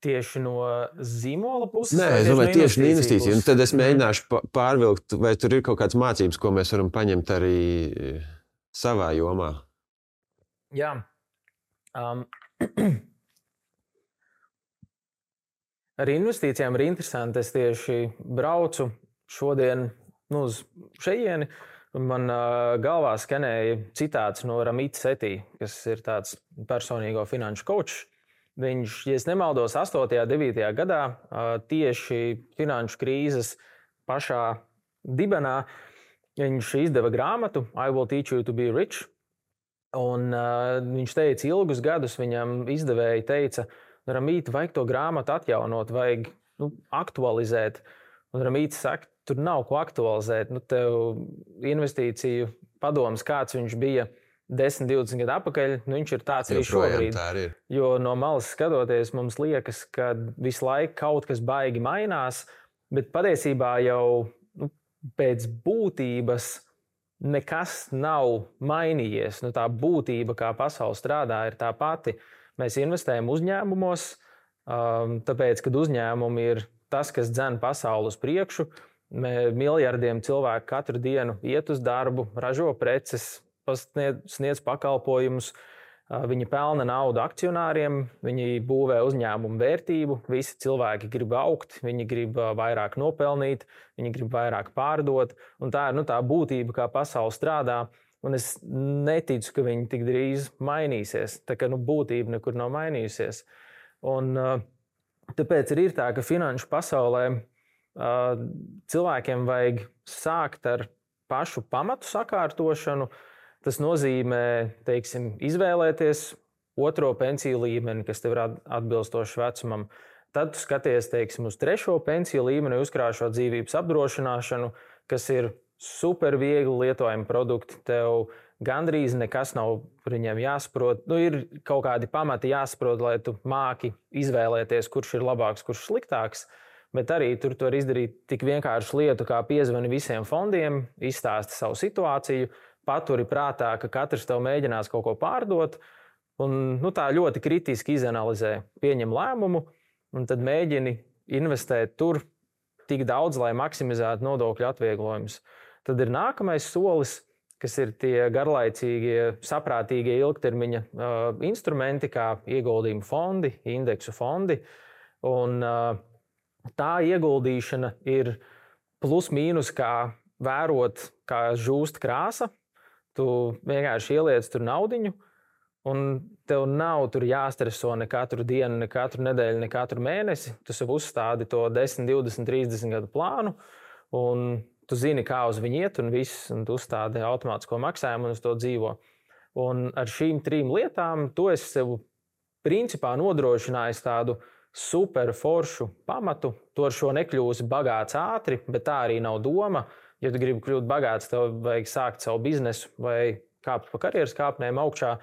Tieši no zīmola puses? Nē, es domāju, tieši no investīciju. Un tad es mēģināšu pārvilkt, vai tur ir kaut kādas mācības, ko mēs varam paņemt arī savā jomā. Jā. Um. Ar investīcijām ir interesanti. Es tieši braucu šodien nu, uz šejieni, un man uh, galvā skanēja citāts no Ramīta Setī, kas ir tāds personīgo finanšu kočs. Viņš, ja es nemaldos, astotajā, devītajā gadā uh, tieši finanšu krīzes pašā dibenā viņš izdeva grāmatu I Will Teach You to Be Rich. Un uh, viņš teica, ilgus gadus viņam izdevēji teica, Ramīti, vajag to grāmatu atjaunot, vajag nu, aktualizēt. Un Ramītis saka, tur nav ko aktualizēt. Nu, tev investīciju padoms, kāds viņš bija desmit, divdesmit gadu atpakaļ, nu, viņš ir tāds arī šobrīd. Ir. Jo no malas skatoties, mums liekas, ka visu laiku kaut kas baigi mainās, bet patiesībā jau nu, pēc būtības nekas nav mainījies. Nu, tā būtība, kā pasaule strādā, ir tā pati. Mēs investējam uzņēmumos, tāpēc, kad uzņēmumi ir tas, kas dzen pasauli uz priekšu, miljardiem cilvēku katru dienu iet uz darbu, ražo preces, sniedz pakalpojumus, viņi pelna naudu akcionāriem, viņi būvē uzņēmumu vērtību, visi cilvēki grib augt, viņi grib vairāk nopelnīt, viņi grib vairāk pārdot, un tā ir nu, tā būtība, kā pasaule strādā. Un es neticu, ka viņi tik drīz mainīsies. Tā kā nu, būtība nekur nav mainījusies. Un, uh, tāpēc ir tā, ka finanšu pasaulē uh, cilvēkiem vajag sākt ar pašu pamatu sakārtošanu. Tas nozīmē, teiksim, izvēlēties otro pensiju līmeni, kas tev ir atbilstoši vecumam. Tad tu skaties, teiksim, uz trešo pensiju līmeni, uzkrāšot dzīvības apdrošināšanu, kas ir super viegli lietojami produkti. Tev gandrīz nekas nav par viņiem jāsaprot. Nu, ir kaut kādi pamati jāsaprot, lai tu māki izvēlēties, kurš ir labāks, kurš sliktāks. Bet arī tur tu vari izdarīt tik vienkāršu lietu, kā piezvani visiem fondiem, izstāsti savu situāciju, paturi prātā, ka katrs tev mēģinās kaut ko pārdot, un nu, tā ļoti kritiski izanalizē, pieņem lēmumu, un tad mēģini investēt tur tik daudz, lai maksimizētu nodokļu atvieglojumus. Tad ir nākamais solis, kas ir tie garlaicīgie, saprātīgie ilgtermiņa uh, instrumenti, kā ieguldījumu fondi, indeksu fondi. Un, uh, tā ieguldīšana ir plus mīnus, kā vērot, kā žūst krāsa. Tu vienkārši ieliec tur naudiņu, un tev nav tur jāstreso ne katru dienu, ne katru nedēļu, ne katru mēnesi. Tu sev uzstādi to desmit, divdesmit, trīsdesmit gadu plānu, un tu zini, kā uz viņu iet, un viss, un tu uzstādi automātisko maksājumu un uz to dzīvo. Un ar šīm trim lietām tu esi sev principā nodrošinājis tādu super foršu pamatu. Tu ar šo nekļūsi bagāts ātri, bet tā arī nav doma. Ja tu gribi kļūt bagāts, tev vajag sākt savu biznesu vai kāpt pa karjeras kāpnēm augšā.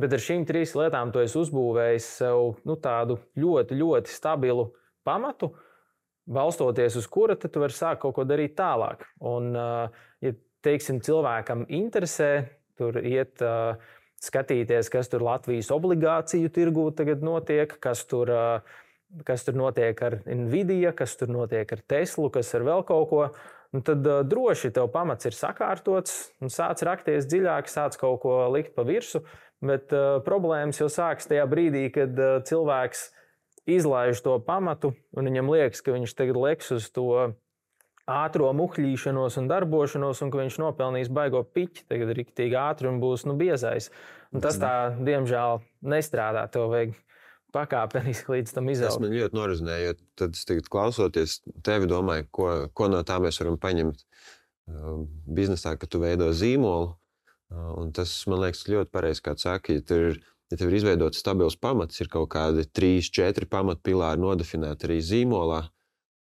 Bet ar šīm trīs lietām tu esi uzbūvējis sev nu, tādu ļoti, ļoti stabilu pamatu, balstoties uz kura, tad tu vari sākt kaut ko darīt tālāk. Un, ja, teiksim, cilvēkam interesē, tur iet skatīties, kas tur Latvijas obligāciju tirgū tagad notiek, kas tur, kas tur notiek ar Nvidia, kas tur notiek ar Teslu, kas ar vēl kaut ko, un tad droši tev pamats ir sakārtots, un sāc rakties dziļāk, sāc kaut ko likt pa virsu, bet problēmas jau sāks tajā brīdī, kad cilvēks izlaiž to pamatu, un viņam liekas, ka viņš tagad leks uz to ātro muhļīšanos un darbošanos, un ka viņš nopelnīs baigo piķi, tagad riktīgi ātri un būs nu, biezais. Un tas tā, diemžēl, nestrādā. Tev vajag pakāpeniski līdz tam izaugt. Tas man ļoti norizināja, jo tad es tagad klausoties tevi domāju, ko, ko no tā mēs varam paņemt biznesā, ka tu veido zīmolu. Un tas, man liekas, ļoti pareizi, kā tu saki, ja tev ir, ja tev ir izveidots stabils pamats, ir kaut kādi trīs, četri pamatpilāri nodefinēti arī zīmolā,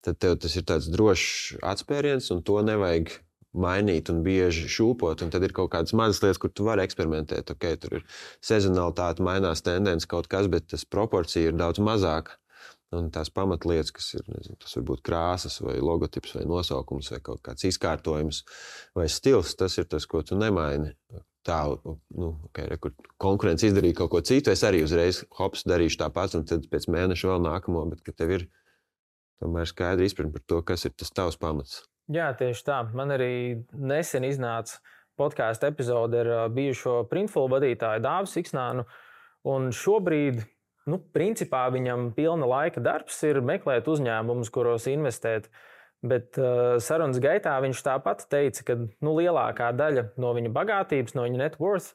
tad tev tas ir tāds drošs atspēriens, un to nevajag mainīt un bieži šūpot. Un tad ir kaut kādas mazas lietas, kur tu vari eksperimentēt. Okay, tur ir sezonalitāte, mainās tendence kaut kas, bet tas proporcija ir daudz mazāka. Un tās pamatlietas, kas ir, nezinu, tas var būt krāsas vai logotips vai nosaukums vai kaut kāds izkārtojums vai stils, tas ir tas, ko tu nemaini. Tā, nu, okay, rekur, konkurence izdarīja kaut ko citu, es arī uzreiz hops darīšu tāpat, un tad pēc mēneša vēl nākamo, bet ka tev ir tomēr skaidri izpratni par to, kas ir tas tavs pamats. Jā, tieši tā. Man arī nesen iznāca podkāstu epizode ar bijušo Printful vadītāju Dāvu Siksnānu, un šobrīd Nu, principā viņam pilna laika darbs ir meklēt uzņēmumus, kuros investēt. Bet uh, sarunas gaitā viņš tāpat teica, ka nu, lielākā daļa no viņa bagātības, no viņa net worth,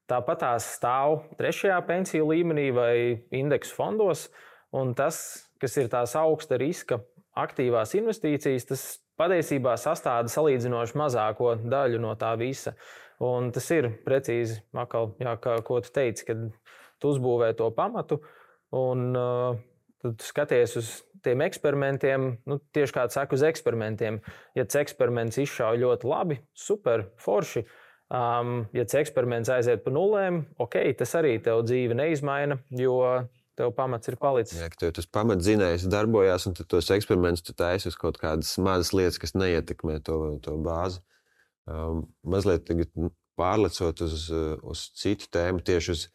tāpat tās stāv trešajā pensiju līmenī vai indeksu fondos. Un tas, kas ir tās augsta riska aktīvās investīcijas, tas patiesībā sastāda salīdzinoši mazāko daļu no tā visa. Un tas ir precīzi, akal, jā, kā, ko tu teici, kad tu uzbūvē to pamatu. Un uh, tad skaties uz tiem eksperimentiem, nu, tieši kā saka, uz eksperimentiem. Ja tas eksperiments izšauj ļoti labi, super, forši. Um, ja tas eksperiments aiziet pa nulēm, ok, tas arī tev dzīve neizmaina, jo tev pamats ir palicis. Jā, ka tev tas pamatzinējs darbojās, un tad tos eksperimentus tu taisi uz kaut kādas mazas lietas, kas neietekmē to, to bāzi. Um, mazliet tagad pārlecot uz, uz citu tēmu, tieši uz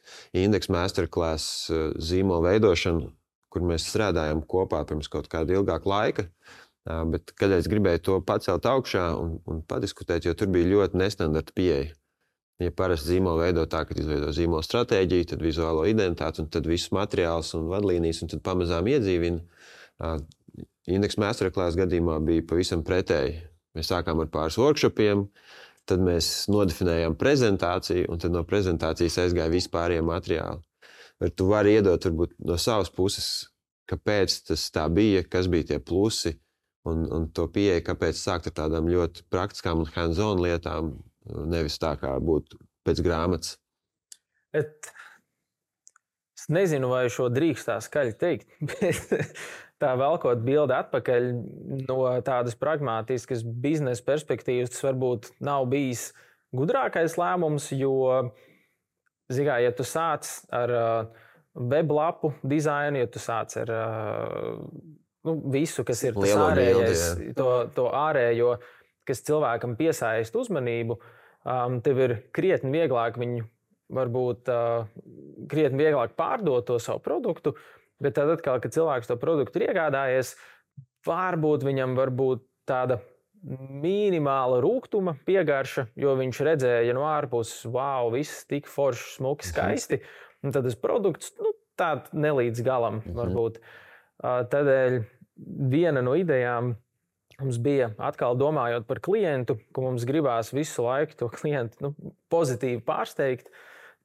indeksu masterclass zīmolu veidošanu, kur mēs strādājam kopā pirms kaut kāda ilgāka laika. Bet kādreiz gribēju to pacelt augšā un, un padiskutēt, jo tur bija ļoti nestandarta pieeja. Ja parasti zīmolu veido tā, ka izveido zīmolu stratēģiju, tad vizuālo identitāti, un tad visus materiālus un vadlīnijas, un tad pamazām iedzīvina. Indeksu masterclass gadījumā bija pavisam pretēji. Mēs sākām ar pāris workshopiem, tad mēs nodefinējām prezentāciju, un tad no prezentācijas aizgāja vispārējie materiāli. Bet tu vari iedot varbūt no savas puses, kāpēc tas tā bija, kas bija tie plusi, un, un to pieeja, kāpēc sākt ar tādām ļoti praktiskām un hands-on lietām, nevis tā kā būtu pēc grāmatas. Et, es nezinu, vai šo drīkst tā skaļi teikt, bet tā velkot bildi atpakaļ no tādas pragmātiskas biznesa perspektīvas, tas varbūt nav bijis gudrākais lēmums, jo, zigā, ja tu sāc ar uh, weblapu dizainu, ja tu sāc ar uh, nu, visu, kas ir tas ārējais, bildi, to, to ārējo, kas cilvēkam piesaist uzmanību, um, tev ir krietni vieglāk viņu, varbūt uh, krietni vieglāk pārdot to savu produktu. Bet tad atkal, kad cilvēks to produktu ir iegādājies, varbūt viņam var būt tāda minimāla rūgtuma piegarša, jo viņš redzēja no ārpuses, wow, viss tik forši, smuki, skaisti. Un tad tas produkts, nu, tād nelīdz galam varbūt. Tādēļ viena no idejām mums bija atkal domājot par klientu, ka mums gribās visu laiku to klientu nu, pozitīvi pārsteigt,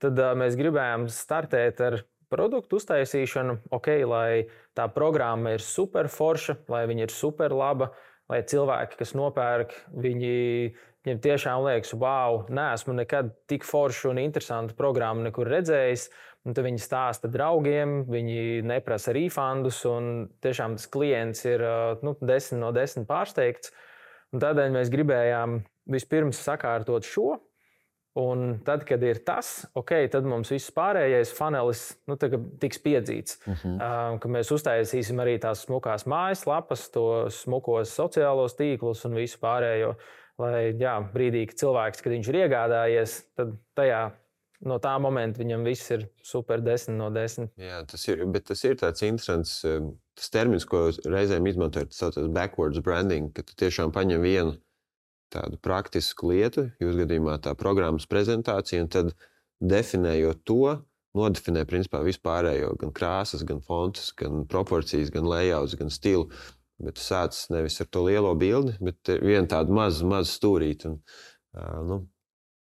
tad mēs gribējām startēt ar produktu uztaisīšanu, ok, lai tā programma ir super forša, lai viņa ir super laba, lai cilvēki, kas nopērk, viņi, viņiem tiešām liekas, wow, neesmu nekad tik foršu un interesantu programmu nekur redzējis, un tad viņi stāsta draugiem, viņi neprasa refundus, un tiešām tas klients ir nu, desmit no desmit pārsteigts. Un tādēļ mēs gribējām vispirms sakārtot šo. Un tad, kad ir tas, ok, tad mums viss pārējais funelis nu, tiks piedzīts. Uh-huh. Uh, ka mēs uztaisīsim arī tās smukās mājaslapas, tos smukos sociālos tīklus un visu pārējo. Lai jā, brīdī, kad cilvēks, kad viņš ir iegādājies, tad tajā, no tā momenta viņam viss ir super desmit no desmit. Jā, tas ir, bet tas ir tāds interesants tas termins, ko reizēm izmantojot, tas saucas backwards branding, ka tu tiešām paņem vienu tādu praktisku lietu, jūs gadījumā tā programmas prezentācija, un tad definējot to, nodefinē principā vispārējo, gan krāsas, gan fontus, gan proporcijas, gan layouts, gan stilu. Bet tu sāc nevis ar to lielo bildi, bet vienu tādu mazu, mazu stūrīti. Un, uh, nu,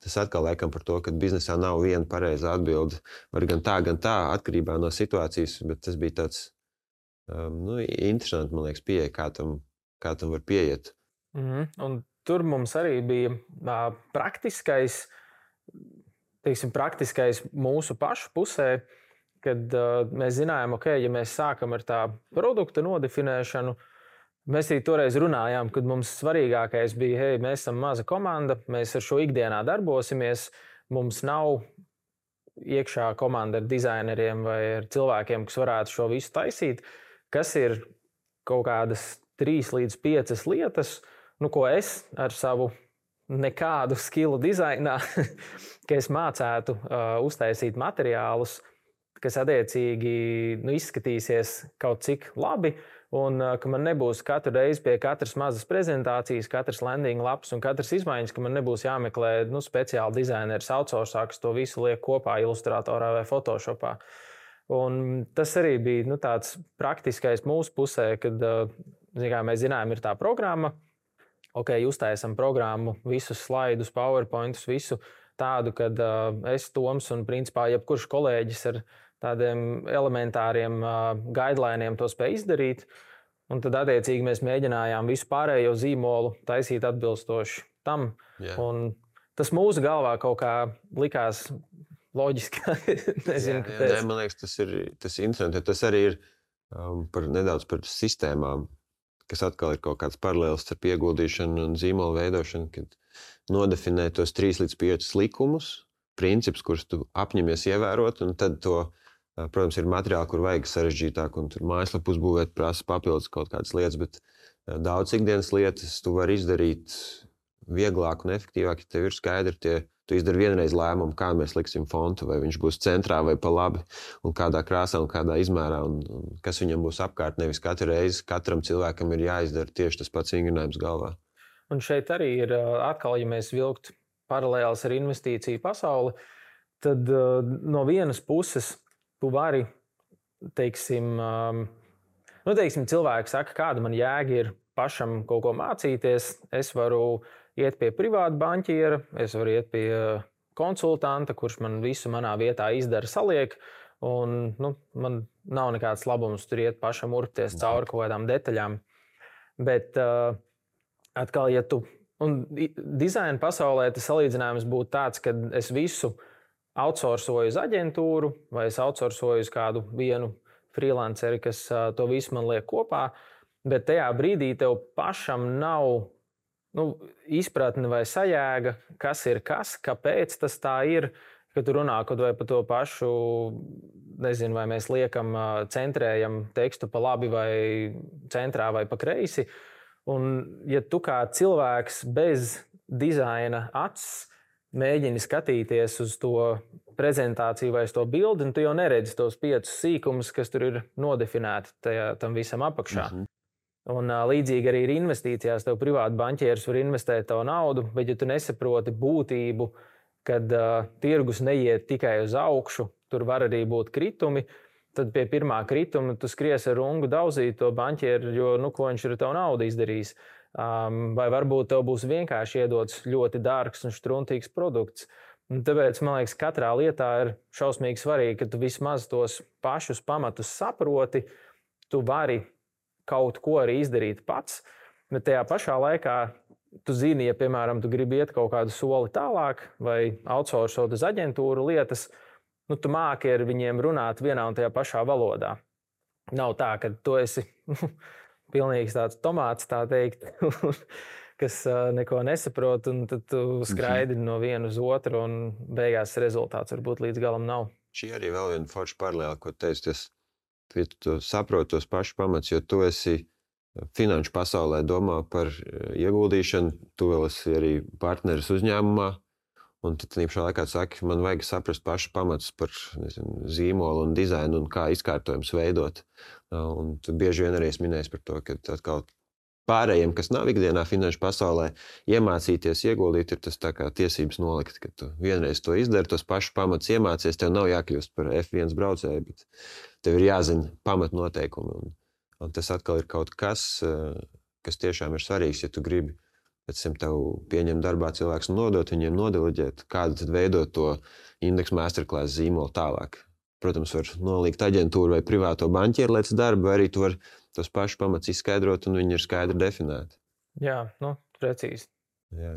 tas atkal laikam par to, ka biznesā nav viena pareiza atbilde. Var gan tā, gan tā, atkarībā no situācijas, bet tas bija tāds um, nu, interesanti, man liekas, pieeja, kā tam, kā tam var pieiet. Mm-hmm. Un tur mums arī bija uh, praktiskais, teiksim, praktiskais mūsu pašu pusē, kad uh, mēs zinājām, ok, ja mēs sākam ar tā produkta nodefinēšanu, mēs arī toreiz runājām, kad mums svarīgākais bija, hei, mēs esam maza komanda, mēs ar šo ikdienā darbosimies, mums nav iekšā komanda ar dizaineriem vai ar cilvēkiem, kas varētu šo visu taisīt, kas ir kaut kādas trīs līdz piecas lietas, nu, ko es ar savu nekādu skilu dizainā, ka es mācētu uh, uztaisīt materiālus, kas attiecīgi nu, izskatīsies kaut cik labi, un uh, ka man nebūs katru reizi pie katras mazas prezentācijas, katras landing lapas un katras izmaiņas, ka man nebūs jāmeklē nu, speciāli dizaineris outsourcā, kas to visu liek kopā Illustratorā vai Photoshopā. Un tas arī bija nu, tāds praktiskais mūsu pusē, kad uh, kā mēs zinājām, ir tā programma. Ok, uztaisam programmu, visus slaidus, PowerPointus, visu tādu, kad uh, es, Toms un principā jebkurš kolēģis ar tādiem elementāriem uh, guideliniem to spēj izdarīt. Un tad attiecīgi mēs mēģinājām visu pārējo zīmolu taisīt atbilstoši tam. Yeah. Un tas mūsu galvā kaut kā likās loģiski. Nezinu, jā, jā, nē, man liekas, tas ir, tas ir interesanti. Tas arī ir um, par, nedaudz par sistēmām, kas atkal ir kaut kāds paralēls starp ieguldīšanu un zīmolu veidošanu, kad nodefinē tos trīs līdz piecus likumus, principus, kurus tu apņemies ievērot, un tad to, protams, ir materiāli, kur vajag sarežģītāk, un tur mājaslapu uzbūvēt prasa papildus kaut kādas lietas, bet daudz ikdienas lietas tu vari izdarīt vieglāk un efektīvāk, ja tev ir skaidri tie. Tu izdari vienreiz lēmumu, kā mēs liksim fontu, vai viņš būs centrā vai pa labi, un kādā krāsā un kādā izmērā, un, un kas viņam būs apkārt. Nevis katru reizi katram cilvēkam ir jāizdara tieši tas pats vingrinājums galvā. Un šeit arī ir atkal, ja mēs vilktu paralēlis ar investīciju pasauli, tad uh, no vienas puses tu vari, teiksim, um, nu, teiksim, cilvēki saka, kāda man jēga ir pašam kaut ko mācīties, es varu iet pie privāta banķiera, es varu iet pie konsultanta, kurš man visu manā vietā izdara, saliek, un nu, man nav nekāds labums tur iet pašam urpties cauri kaut kādām detaļām. Bet uh, atkal, ja tu, un dizaina pasaulē tas salīdzinājums būtu tāds, ka es visu outsourcoju uz aģentūru, vai es outsourcoju uz kādu vienu freelanceri, kas uh, to visu man liek kopā, bet tajā brīdī tev pašam nav nu, izpratne vai sajēga, kas ir kas, kāpēc tas tā ir, kad tu runā kaut vai par to pašu, nezinu, vai mēs liekam, centrējam tekstu pa labi vai centrā vai pa kreisi. Un ja tu kā cilvēks bez dizaina acis mēģini skatīties uz to prezentāciju vai uz to bildi, un tu jau neredzi tos piecus sīkumus, kas tur ir nodefinēti tajā, tam visam apakšā. Mm-hmm. Un līdzīgi arī ir investīcijās. Tev privāti banķieris var investēt tavu naudu, bet ja tu nesaproti būtību, kad uh, tirgus neiet tikai uz augšu, tur var arī būt kritumi, tad pie pirmā krituma tu skries ar rungu daudzīt to banķieru, jo nu, ko viņš ir tavu naudu izdarījis. Um, vai varbūt tev būs vienkārši iedots ļoti dārgs un štruntīgs produkts. Un tāpēc, man liekas, katrā lietā ir šausmīgi svarīgi, ka tu vismaz tos pašus pamatus saproti, tu vari kaut ko arī izdarīt pats, bet tajā pašā laikā tu zini, ja, piemēram, tu gribi iet kaut kādu soli tālāk vai outsourcot uz aģentūru lietas, nu, tu māki ar viņiem runāt vienā un tajā pašā valodā. Nav tā, ka tu esi pilnīgs tāds tomāts, tā teikt, kas neko nesaprot, un tad tu skraidi no viena uz otru, un beigās rezultāts varbūt līdz galam nav. Šī arī vēl viena forša paralēla, ko teicu, tas ja tu saproti tos pašus pamats, jo tu esi finanšu pasaulē domā par ieguldīšanu, tu vēl esi arī partneris uzņēmumā, un tad pašā laikā saki, man vajag saprast pašu pamatus par nezinu, zīmolu un dizainu un kā izkārtojums veidot. Un tu bieži vien arī esi minējis par to, ka atkal pārējiem, kas nav ikdienā finanšu pasaulē, iemācīties, ieguldīt, ir tas tā kā tiesības nolikt, ka tu vienreiz to izdari, tos pašus pamatus iemācies, tev nav jākļūst par F viens braucēju, bet tev ir jāzina pamatnoteikumi. Un, un tas atkal ir kaut kas, kas tiešām ir svarīgs, ja tu gribi pēc tam tev pieņem darbā cilvēks un nodot viņiem nodeleģēt, kādu tad veidot to indeksu masterclass zīmolu tālāk. Protams, var nolikt aģentūru vai privāto banķieru lietas darbu, vai arī tu var tos pašus pamats izskaidrot, un viņi ir skaidri definēti. Jā, nu, precīzi. Jā.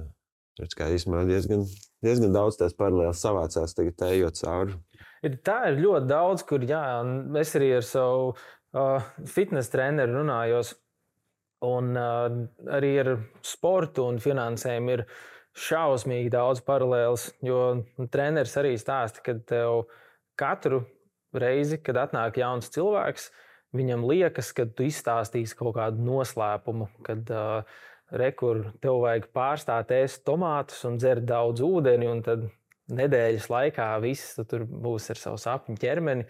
Redz, kā īstenībā diezgan, diezgan daudz tās paralēlas savācās tagad ejot cauri. Ir, tā ir ļoti daudz, kur jā, es arī ar savu uh, fitness treneru runājos. Un uh, arī ar sportu un finansēm ir šausmīgi daudz paralēlas. Jo treneris arī stāsta, ka tev katru reizi, kad atnāk jauns cilvēks, viņam liekas, ka tu izstāstīsi kaut kādu noslēpumu, kad uh, rekur, tev vajag pārstāt ēst tomātus un dzert daudz ūdeni, un tad nedēļas laikā viss tu tur būs ar savu sapņu ķermeni.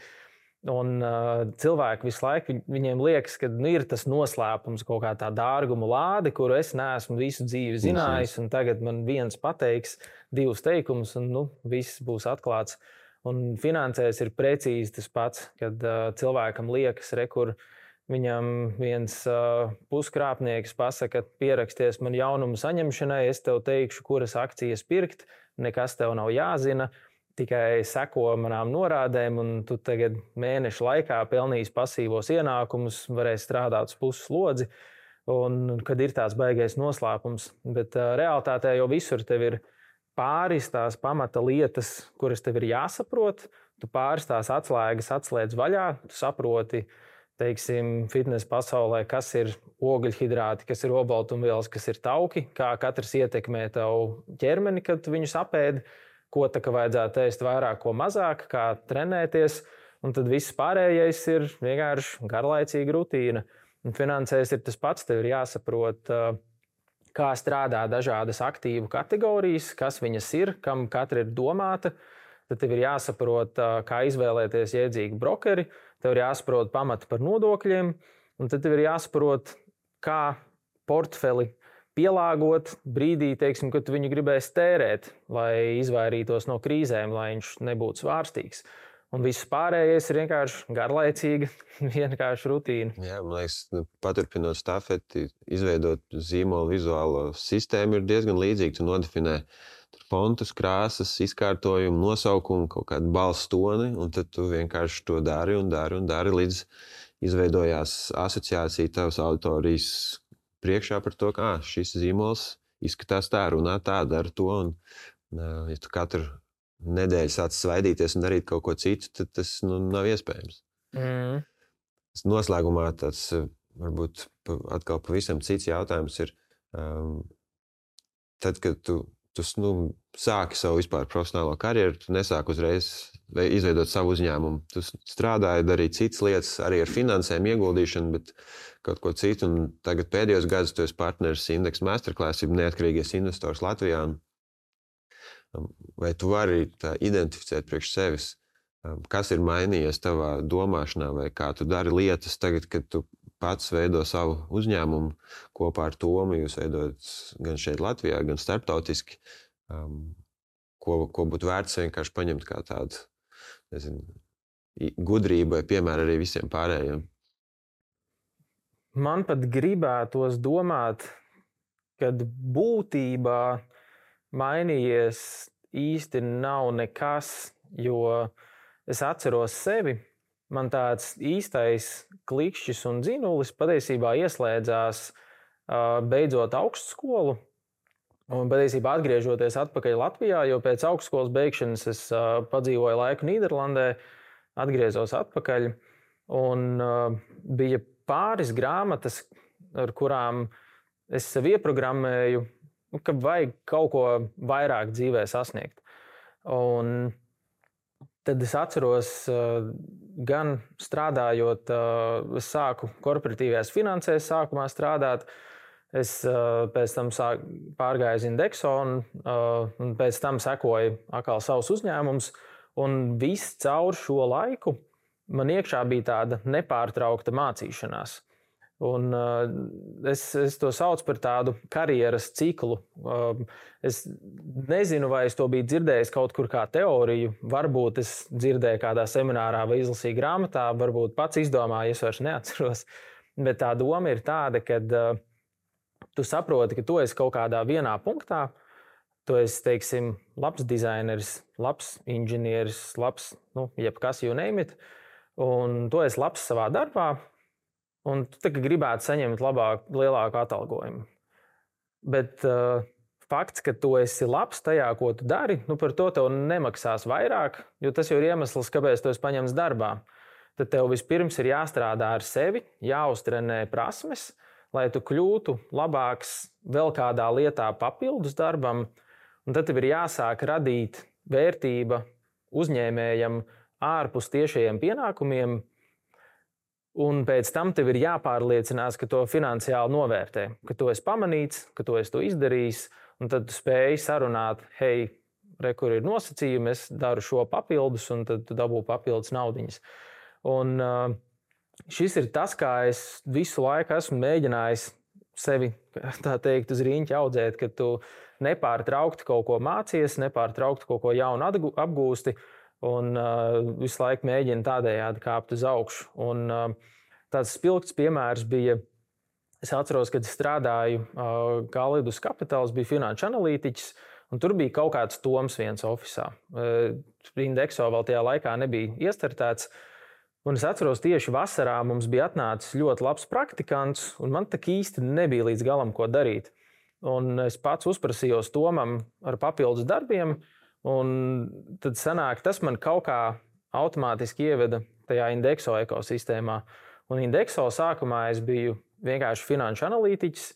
Un uh, cilvēki visu laiku, viņiem liekas, ka nu, ir tas noslēpums, kaut kā tā dārguma lāde, kuru es neesmu visu dzīvi zinājis, un tagad man viens pateiks divus teikumus, un nu, viss būs atklāts. Un finansēs ir precīzi tas pats, kad uh, cilvēkam liekas, rekur, viņam viens uh, puskrāpnieks pasaka, pieraksties man jaunumu saņemšanai, es tev teikšu, kuras akcijas pirkt, nekas tev nav jāzina, tikai seko manām norādēm, un tu tagad mēnešu laikā pelnīsi pasīvos ienākumus, varēsi strādāt uz puses slodzi, un kad ir tāds baigais noslēpums. Bet uh, realitātē jau visur tev ir pāris tās pamata lietas, kuras tev ir jāsaprot, tu pāris tās atslēgas atslēdz vaļā, tu saproti, teiksim, fitnesa pasaulē, kas ir ogļhidrāti, kas ir olbaltumvielas, kas ir tauki, kā katrs ietekmē tavu ķermeni, kad tu viņus apēdi, ko tā kā vajadzētu ēst vairāk, ko mazāk, kā trenēties, un tad viss pārējais ir vienkārši garlaicīga rutīna. Un finansēs ir tas pats, tev ir jāsaprot, kā strādā dažādas aktīvu kategorijas, kas viņas ir, kam katra ir domāta. Tad tev ir jāsaprot, kā izvēlēties jēdzīgu brokeri, tev ir jāsaprot pamati par nodokļiem, un tad tev ir jāsaprot, kā portfeli pielāgot brīdī, teiksim, kad tu viņu gribēsi tērēt, lai izvairītos no krīzēm, lai viņš nebūtu svārstīgs. Un viss pārējais ir vienkārši garlaicīga, vienkārši rutīna. Jā, man liekas, paturpinot stafeti, izveidot zīmolu vizuālo sistēmu ir diezgan līdzīgi. Tu nodefinē fontus, krāsas, izkārtojumu, nosaukumu, kaut kādu balss toni, un tad tu vienkārši to dari un dari un dari, līdz izveidojās asociācija tavas auditorijas priekšā par to, ka šis zīmols izskatās tā, runā tā, dara to, un ja tu katru nedēļu sāc svaidīties un darīt kaut ko citu, tad tas nu, nav iespējams. Mm. Noslēgumā tas varbūt atkal pavisam cits jautājums ir, um, tad, kad tu Tu nu, sāki savu vispār profesionālo karjeru, tu nesāki uzreiz izveidot savu uzņēmumu. Tu strādāji, darīji citas lietas, arī ar finansēm ieguldīšanu, bet kaut ko citu. Un tagad pēdējos gadus tu esi partneris Index Masterclass, ir neatkarīgais investors Latvijā. Vai tu vari tā identificēt priekš sevis, kas ir mainījies tavā domāšanā, vai kā tu dari lietas tagad, kad tu pats veido savu uzņēmumu kopā ar Tomu, jūs veidojat gan šeit Latvijā, gan starptautiski, um, ko, ko būtu vērts vienkārši paņemt kā tādu, nezinu, gudrību vai piemēru arī visiem pārējiem? Man pat gribētos domāt, kad būtībā mainījies īsti nav nekas, jo es atceros sevi. Man tāds īstais klikšķis un dzinulis patiesībā ieslēdzās beidzot augstskolu un patiesībā atgriežoties atpakaļ Latvijā, jo pēc augstskolas beigšanas es padzīvoju laiku Nīderlandē, atgriezos atpakaļ un bija pāris grāmatas, ar kurām es sev ieprogrammēju, ka vajag kaut ko vairāk dzīvē sasniegt. Un tad es atceros, gan strādājot, es sāku korporatīvajās finansēs sākumā strādāt, es pēc tam sāk, pārgāju uz Indexo un, un pēc tam sekoju atkal savus uzņēmumus, un viss caur šo laiku man iekšā bija tāda nepārtraukta mācīšanās. Un, uh, es, es to saucu par tādu karjeras ciklu. Uh, es nezinu, vai es to biju dzirdējis kaut kur kā teoriju. Varbūt es dzirdēju kādā seminārā vai izlasīju grāmatā, varbūt pats izdomāju, es vairs neatceros. Bet tā doma ir tāda, ka uh, tu saproti, ka tu esi kaut kādā vienā punktā. Tu esi, teiksim, labs dizaineris, labs inženieris, labs, nu, jebkas you name it. Un tu esi labs savā darbā. Un tu gribētu saņemt labāk, lielāku atalgojumu. Bet uh, fakts, ka tu esi labs tajā, ko tu dari, nu par to tev nemaksās vairāk, jo tas jau ir iemesls, kāpēc tu esi paņemts darbā. Tad tev vispirms ir jāstrādā ar sevi, jāuztrenē prasmes, lai tu kļūtu labāks vēl kādā lietā papildus darbam, un tad tev ir jāsāk radīt vērtība uzņēmējam ārpus tiešajiem pienākumiem, un pēc tam tev ir jāpārliecinās, ka to finansiāli novērtē, ka tu esi pamanīts, ka tu esi to izdarījis, un tad tu spēj sarunāt, hei, re, kur ir nosacījumi, es daru šo papildus, un tad tu dabū papildus naudiņas. Un uh, šis ir tas, kā es visu laiku esmu mēģinājis sevi, tā teikt, uz rīņķa audzēt, ka tu nepārtraukti kaut ko mācies, nepārtraukti kaut ko jaunu apgūsti, un uh, visu laiku mēģini tādējādi kāpt uz augšu. Un uh, tāds spilgts piemērs bija, es atceros, kad strādāju uh, Galidus Capitāls, bija finanšu analītiķis, un tur bija kaut kāds Toms viens ofisā. Uh, Indexo vēl tajā laikā nebija iestartēts, un es atceros, tieši vasarā mums bija atnācis ļoti labs praktikants, un man tak īsti nebija līdz galam, ko darīt. Un es pats uzprasījos Tomam ar papildus darbiem, un tad sanāk, tas man kaut kā automātiski ieveda tajā Indexo ekosistēmā. Un Indexo sākumā es biju vienkārši finanšu analītiķis,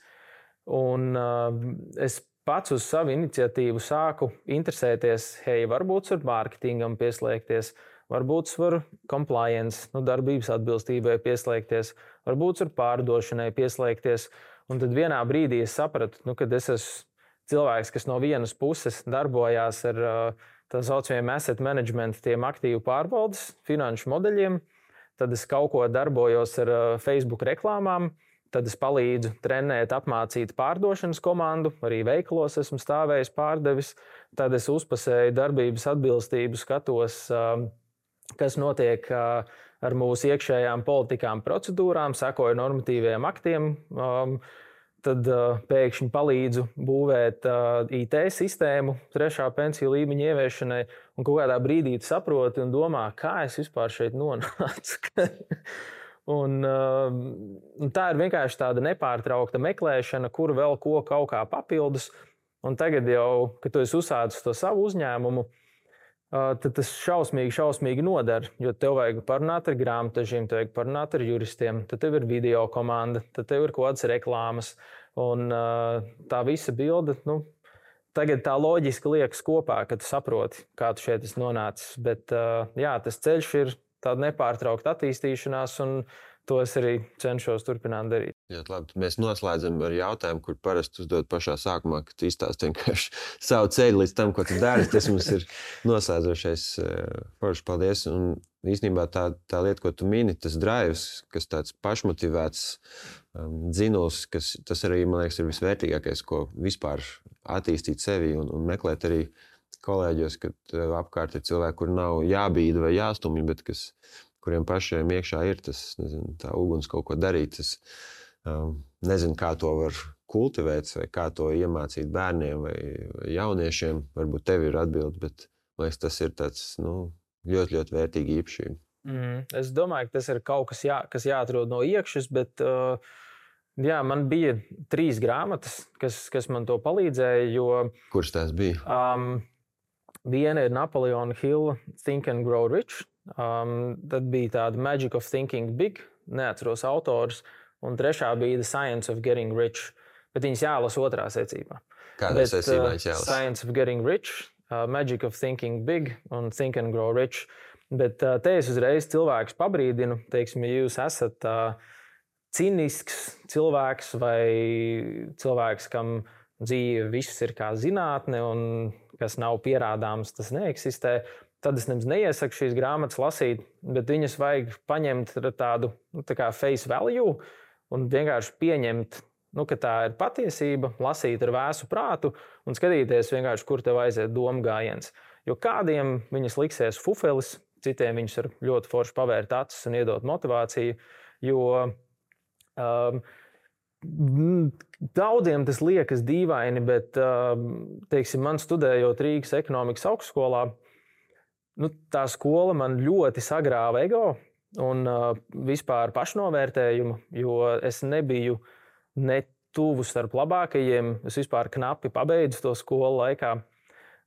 un uh, es pats uz savu iniciatīvu sāku interesēties, hei, varbūt var mārketingam pieslēgties, varbūt var compliance, nu, darbības atbilstībai pieslēgties, varbūt var pārdošanai pieslēgties. Un tad vienā brīdī es sapratu, nu, kad es esmu cilvēks, kas no vienas puses darbojās ar tā saucamiem asset management, tiem aktīvu pārvaldes finanšu modeļiem, tad es kaut ko darbojos ar Facebook reklāmām, tad es palīdzu trenēt, apmācīt pārdošanas komandu, arī veikalos esmu stāvējis pārdevis, tad es uzpasēju darbības atbilstību, skatos, kas notiek ar mūsu iekšējām politikām, procedūrām, sekoju normatīviem aktiem, tad uh, pēkšņi palīdzu būvēt uh, I T sistēmu trešā pensiju līmeņa ieviešanai, un kaut kādā brīdī tu saproti un domā, kā es vispār šeit nonācu. un, uh, un tā ir vienkārši tāda nepārtraukta meklēšana, kur vēl ko kaut kā papildus, un tagad jau, kad tu esi uzsācis to savu uzņēmumu, uh, tad tas šausmīgi, šausmīgi nodara, jo tev vajag parunāt ar grāmatažiem, tev vajag parunāt ar juristiem, tad tev ir video komanda, tad tev ir kaut kādas reklāmas, un uh, tā visa bilde, nu, tagad tā loģiski liekas kopā, kad tu saproti, kā tu šeit esi nonācis, bet uh, jā, tas ceļš ir tāda nepārtraukta attīstīšanās, un to es arī cenšos turpināt darīt. Jā, labi. Mēs noslēdzam ar jautājumu, kur parasti uzdod pašā sākumā, ka tu izstāsti vienkārši savu ceļu līdz tam, ko tu dari. Tas mums ir noslēdzošais. Forši, paldies. Un īstenībā tā, tā lieta, ko tu mini, tas drives, kas tāds pašmotivēts um, dzinuls, kas tas arī, man liekas, ir visvērtīgākais, ko vispār attīstīt sevi un, un meklēt arī kolēģos, kad apkārt ir cilvēki, kur nav jābīda vai jāstumj, bet kas, kuriem pašiem iekšā ir tas, nezinu, tā uguns kaut ko darīt. Tas, um, nezinu, kā to var kultivēt vai kā to iemācīt bērniem vai, vai jauniešiem. Varbūt tev ir atbildi, bet man liekas, tas ir tāds, nu, ļoti, ļoti vērtīgi īpašība. Mm, es domāju, ka tas ir kaut kas, jā, kas jāatrod no iekšas, bet uh, jā, man bija trīs grāmatas, kas, kas man to palīdzēja, jo... Kuras tās bija? Um, viena ir Napoleon Hill Think and Grow Rich. Um, tad bija tāda Magic of Thinking Big, neatceros autors, un trešā bija The Science of Getting Rich, bet viņas jālasa otrā secībā. Kādā secībā viņas jālasa? Science of Getting Rich, uh, Magic of Thinking Big un Think and Grow Rich. Bet uh, te es uzreiz cilvēkus pabrīdinu, teiksim, ja jūs esat uh, cinisks cilvēks vai cilvēks, kam dzīve viss ir kā zinātne un kas nav pierādāms, tas neeksistē, tad es nemaz neiesaku šīs grāmatas lasīt, bet viņas vajag paņemt ar tādu, nu, tā kā face value un vienkārši pieņemt, nu, ka tā ir patiesība, lasīt ar vēsu prātu un skatīties vienkārši, kur tev aiziet domu gājiens. Jo kādiem viņas liksies fufelis, citiem viņus var ļoti forši pavērt acis un iedot motivāciju, jo um, daudziem tas liekas dīvaini, bet, um, teiksim, man studējot Rīgas ekonomikas augstskolā, nu, tā skola man ļoti sagrāva ego un uh, vispār pašnovērtējumu, jo es nebiju ne tuvu starp labākajiem. Es vispār knapi pabeidzu to skolu laikā.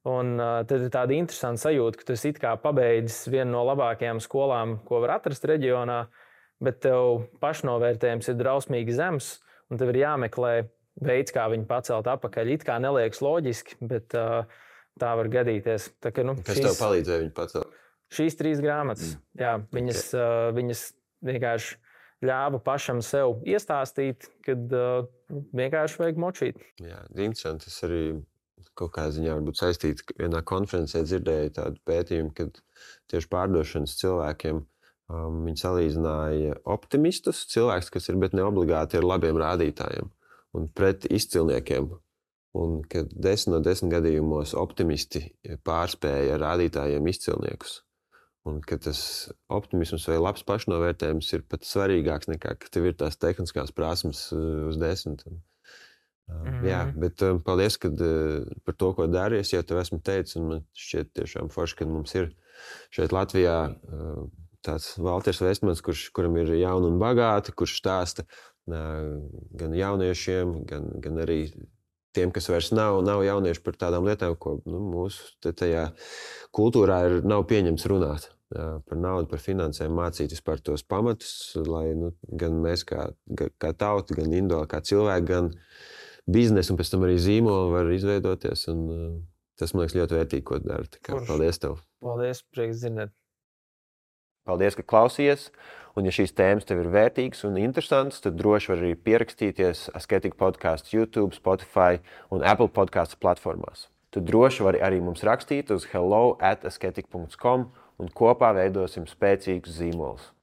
Un uh, tad ir tāda interesanta sajūta, ka tu esi it kā pabeidzis vienu no labākajām skolām, ko var atrast reģionā, bet tev pašnovērtējums ir drausmīgi zems, un tev ir jāmeklē veids, kā viņu pacelt atpakaļ. It kā neliekas loģiski, bet uh, tā var gadīties. Tā, ka, nu, Kas šīs, tev palīdzēja viņu pacelt? Šīs trīs grāmatas, mm. jā, viņas, okay. uh, viņas vienkārši ļāva pašam sev iestāstīt, kad uh, vienkārši vajag močīt. Jā, interesanti. Es arī kaut kā ziņā varbūt saistīts, ka vienā konferencē dzirdēju tādu pētījumu, kad tieši pārdošanas cilvēkiem um, viņi salīdzināja optimistus, cilvēks, kas ir, bet ne obligāti ar labiem rādītājiem, un pret izcilniekiem. Un kad desmit no desmit gadījumos optimisti pārspēja ar rādītājiem izcilniekus. Un ka tas optimisms vai labs pašnovērtējums ir pat svarīgāks nekā, ka tev ir tās tehniskās prasmes uz desmit. Mm-hmm. Jā, bet um, paldies, kad uh, par to, ko dari. Es jau tev esmu teicis, un man šķiet tiešām forši, ka mums ir šeit Latvijā uh, tāds Valters Vestmans, kurš, kuram ir jauni un bagāti, kurš stāsta uh, gan jauniešiem, gan, gan arī tiem, kas vairs nav, nav jaunieši par tādām lietām, ko nu, mūsu tajā kultūrā ir, nav pieņemts runāt. Jā, par naudu, par finansēm, mācīties par tos pamatus, lai nu, gan mēs kā, kā tauta, gan individuāli kā cilvēki, gan biznesu un pēc tam arī zīmolu var izveidoties. Un, uh, tas, man liekas, ļoti vērtīgi, ko dara. Tā kā, paldies tev. Paldies, prieks dzirdēt. Paldies, ka klausījies. Un ja šīs tēmas tev ir vērtīgas un interesantas, tad droši var arī pierakstīties Asketika podcasts YouTube, Spotify un Apple podcasts platformās. Tu droši vari arī mums rakstīt uz hello at asketika dot com un kopā veidosim spēcīgus zīmolus.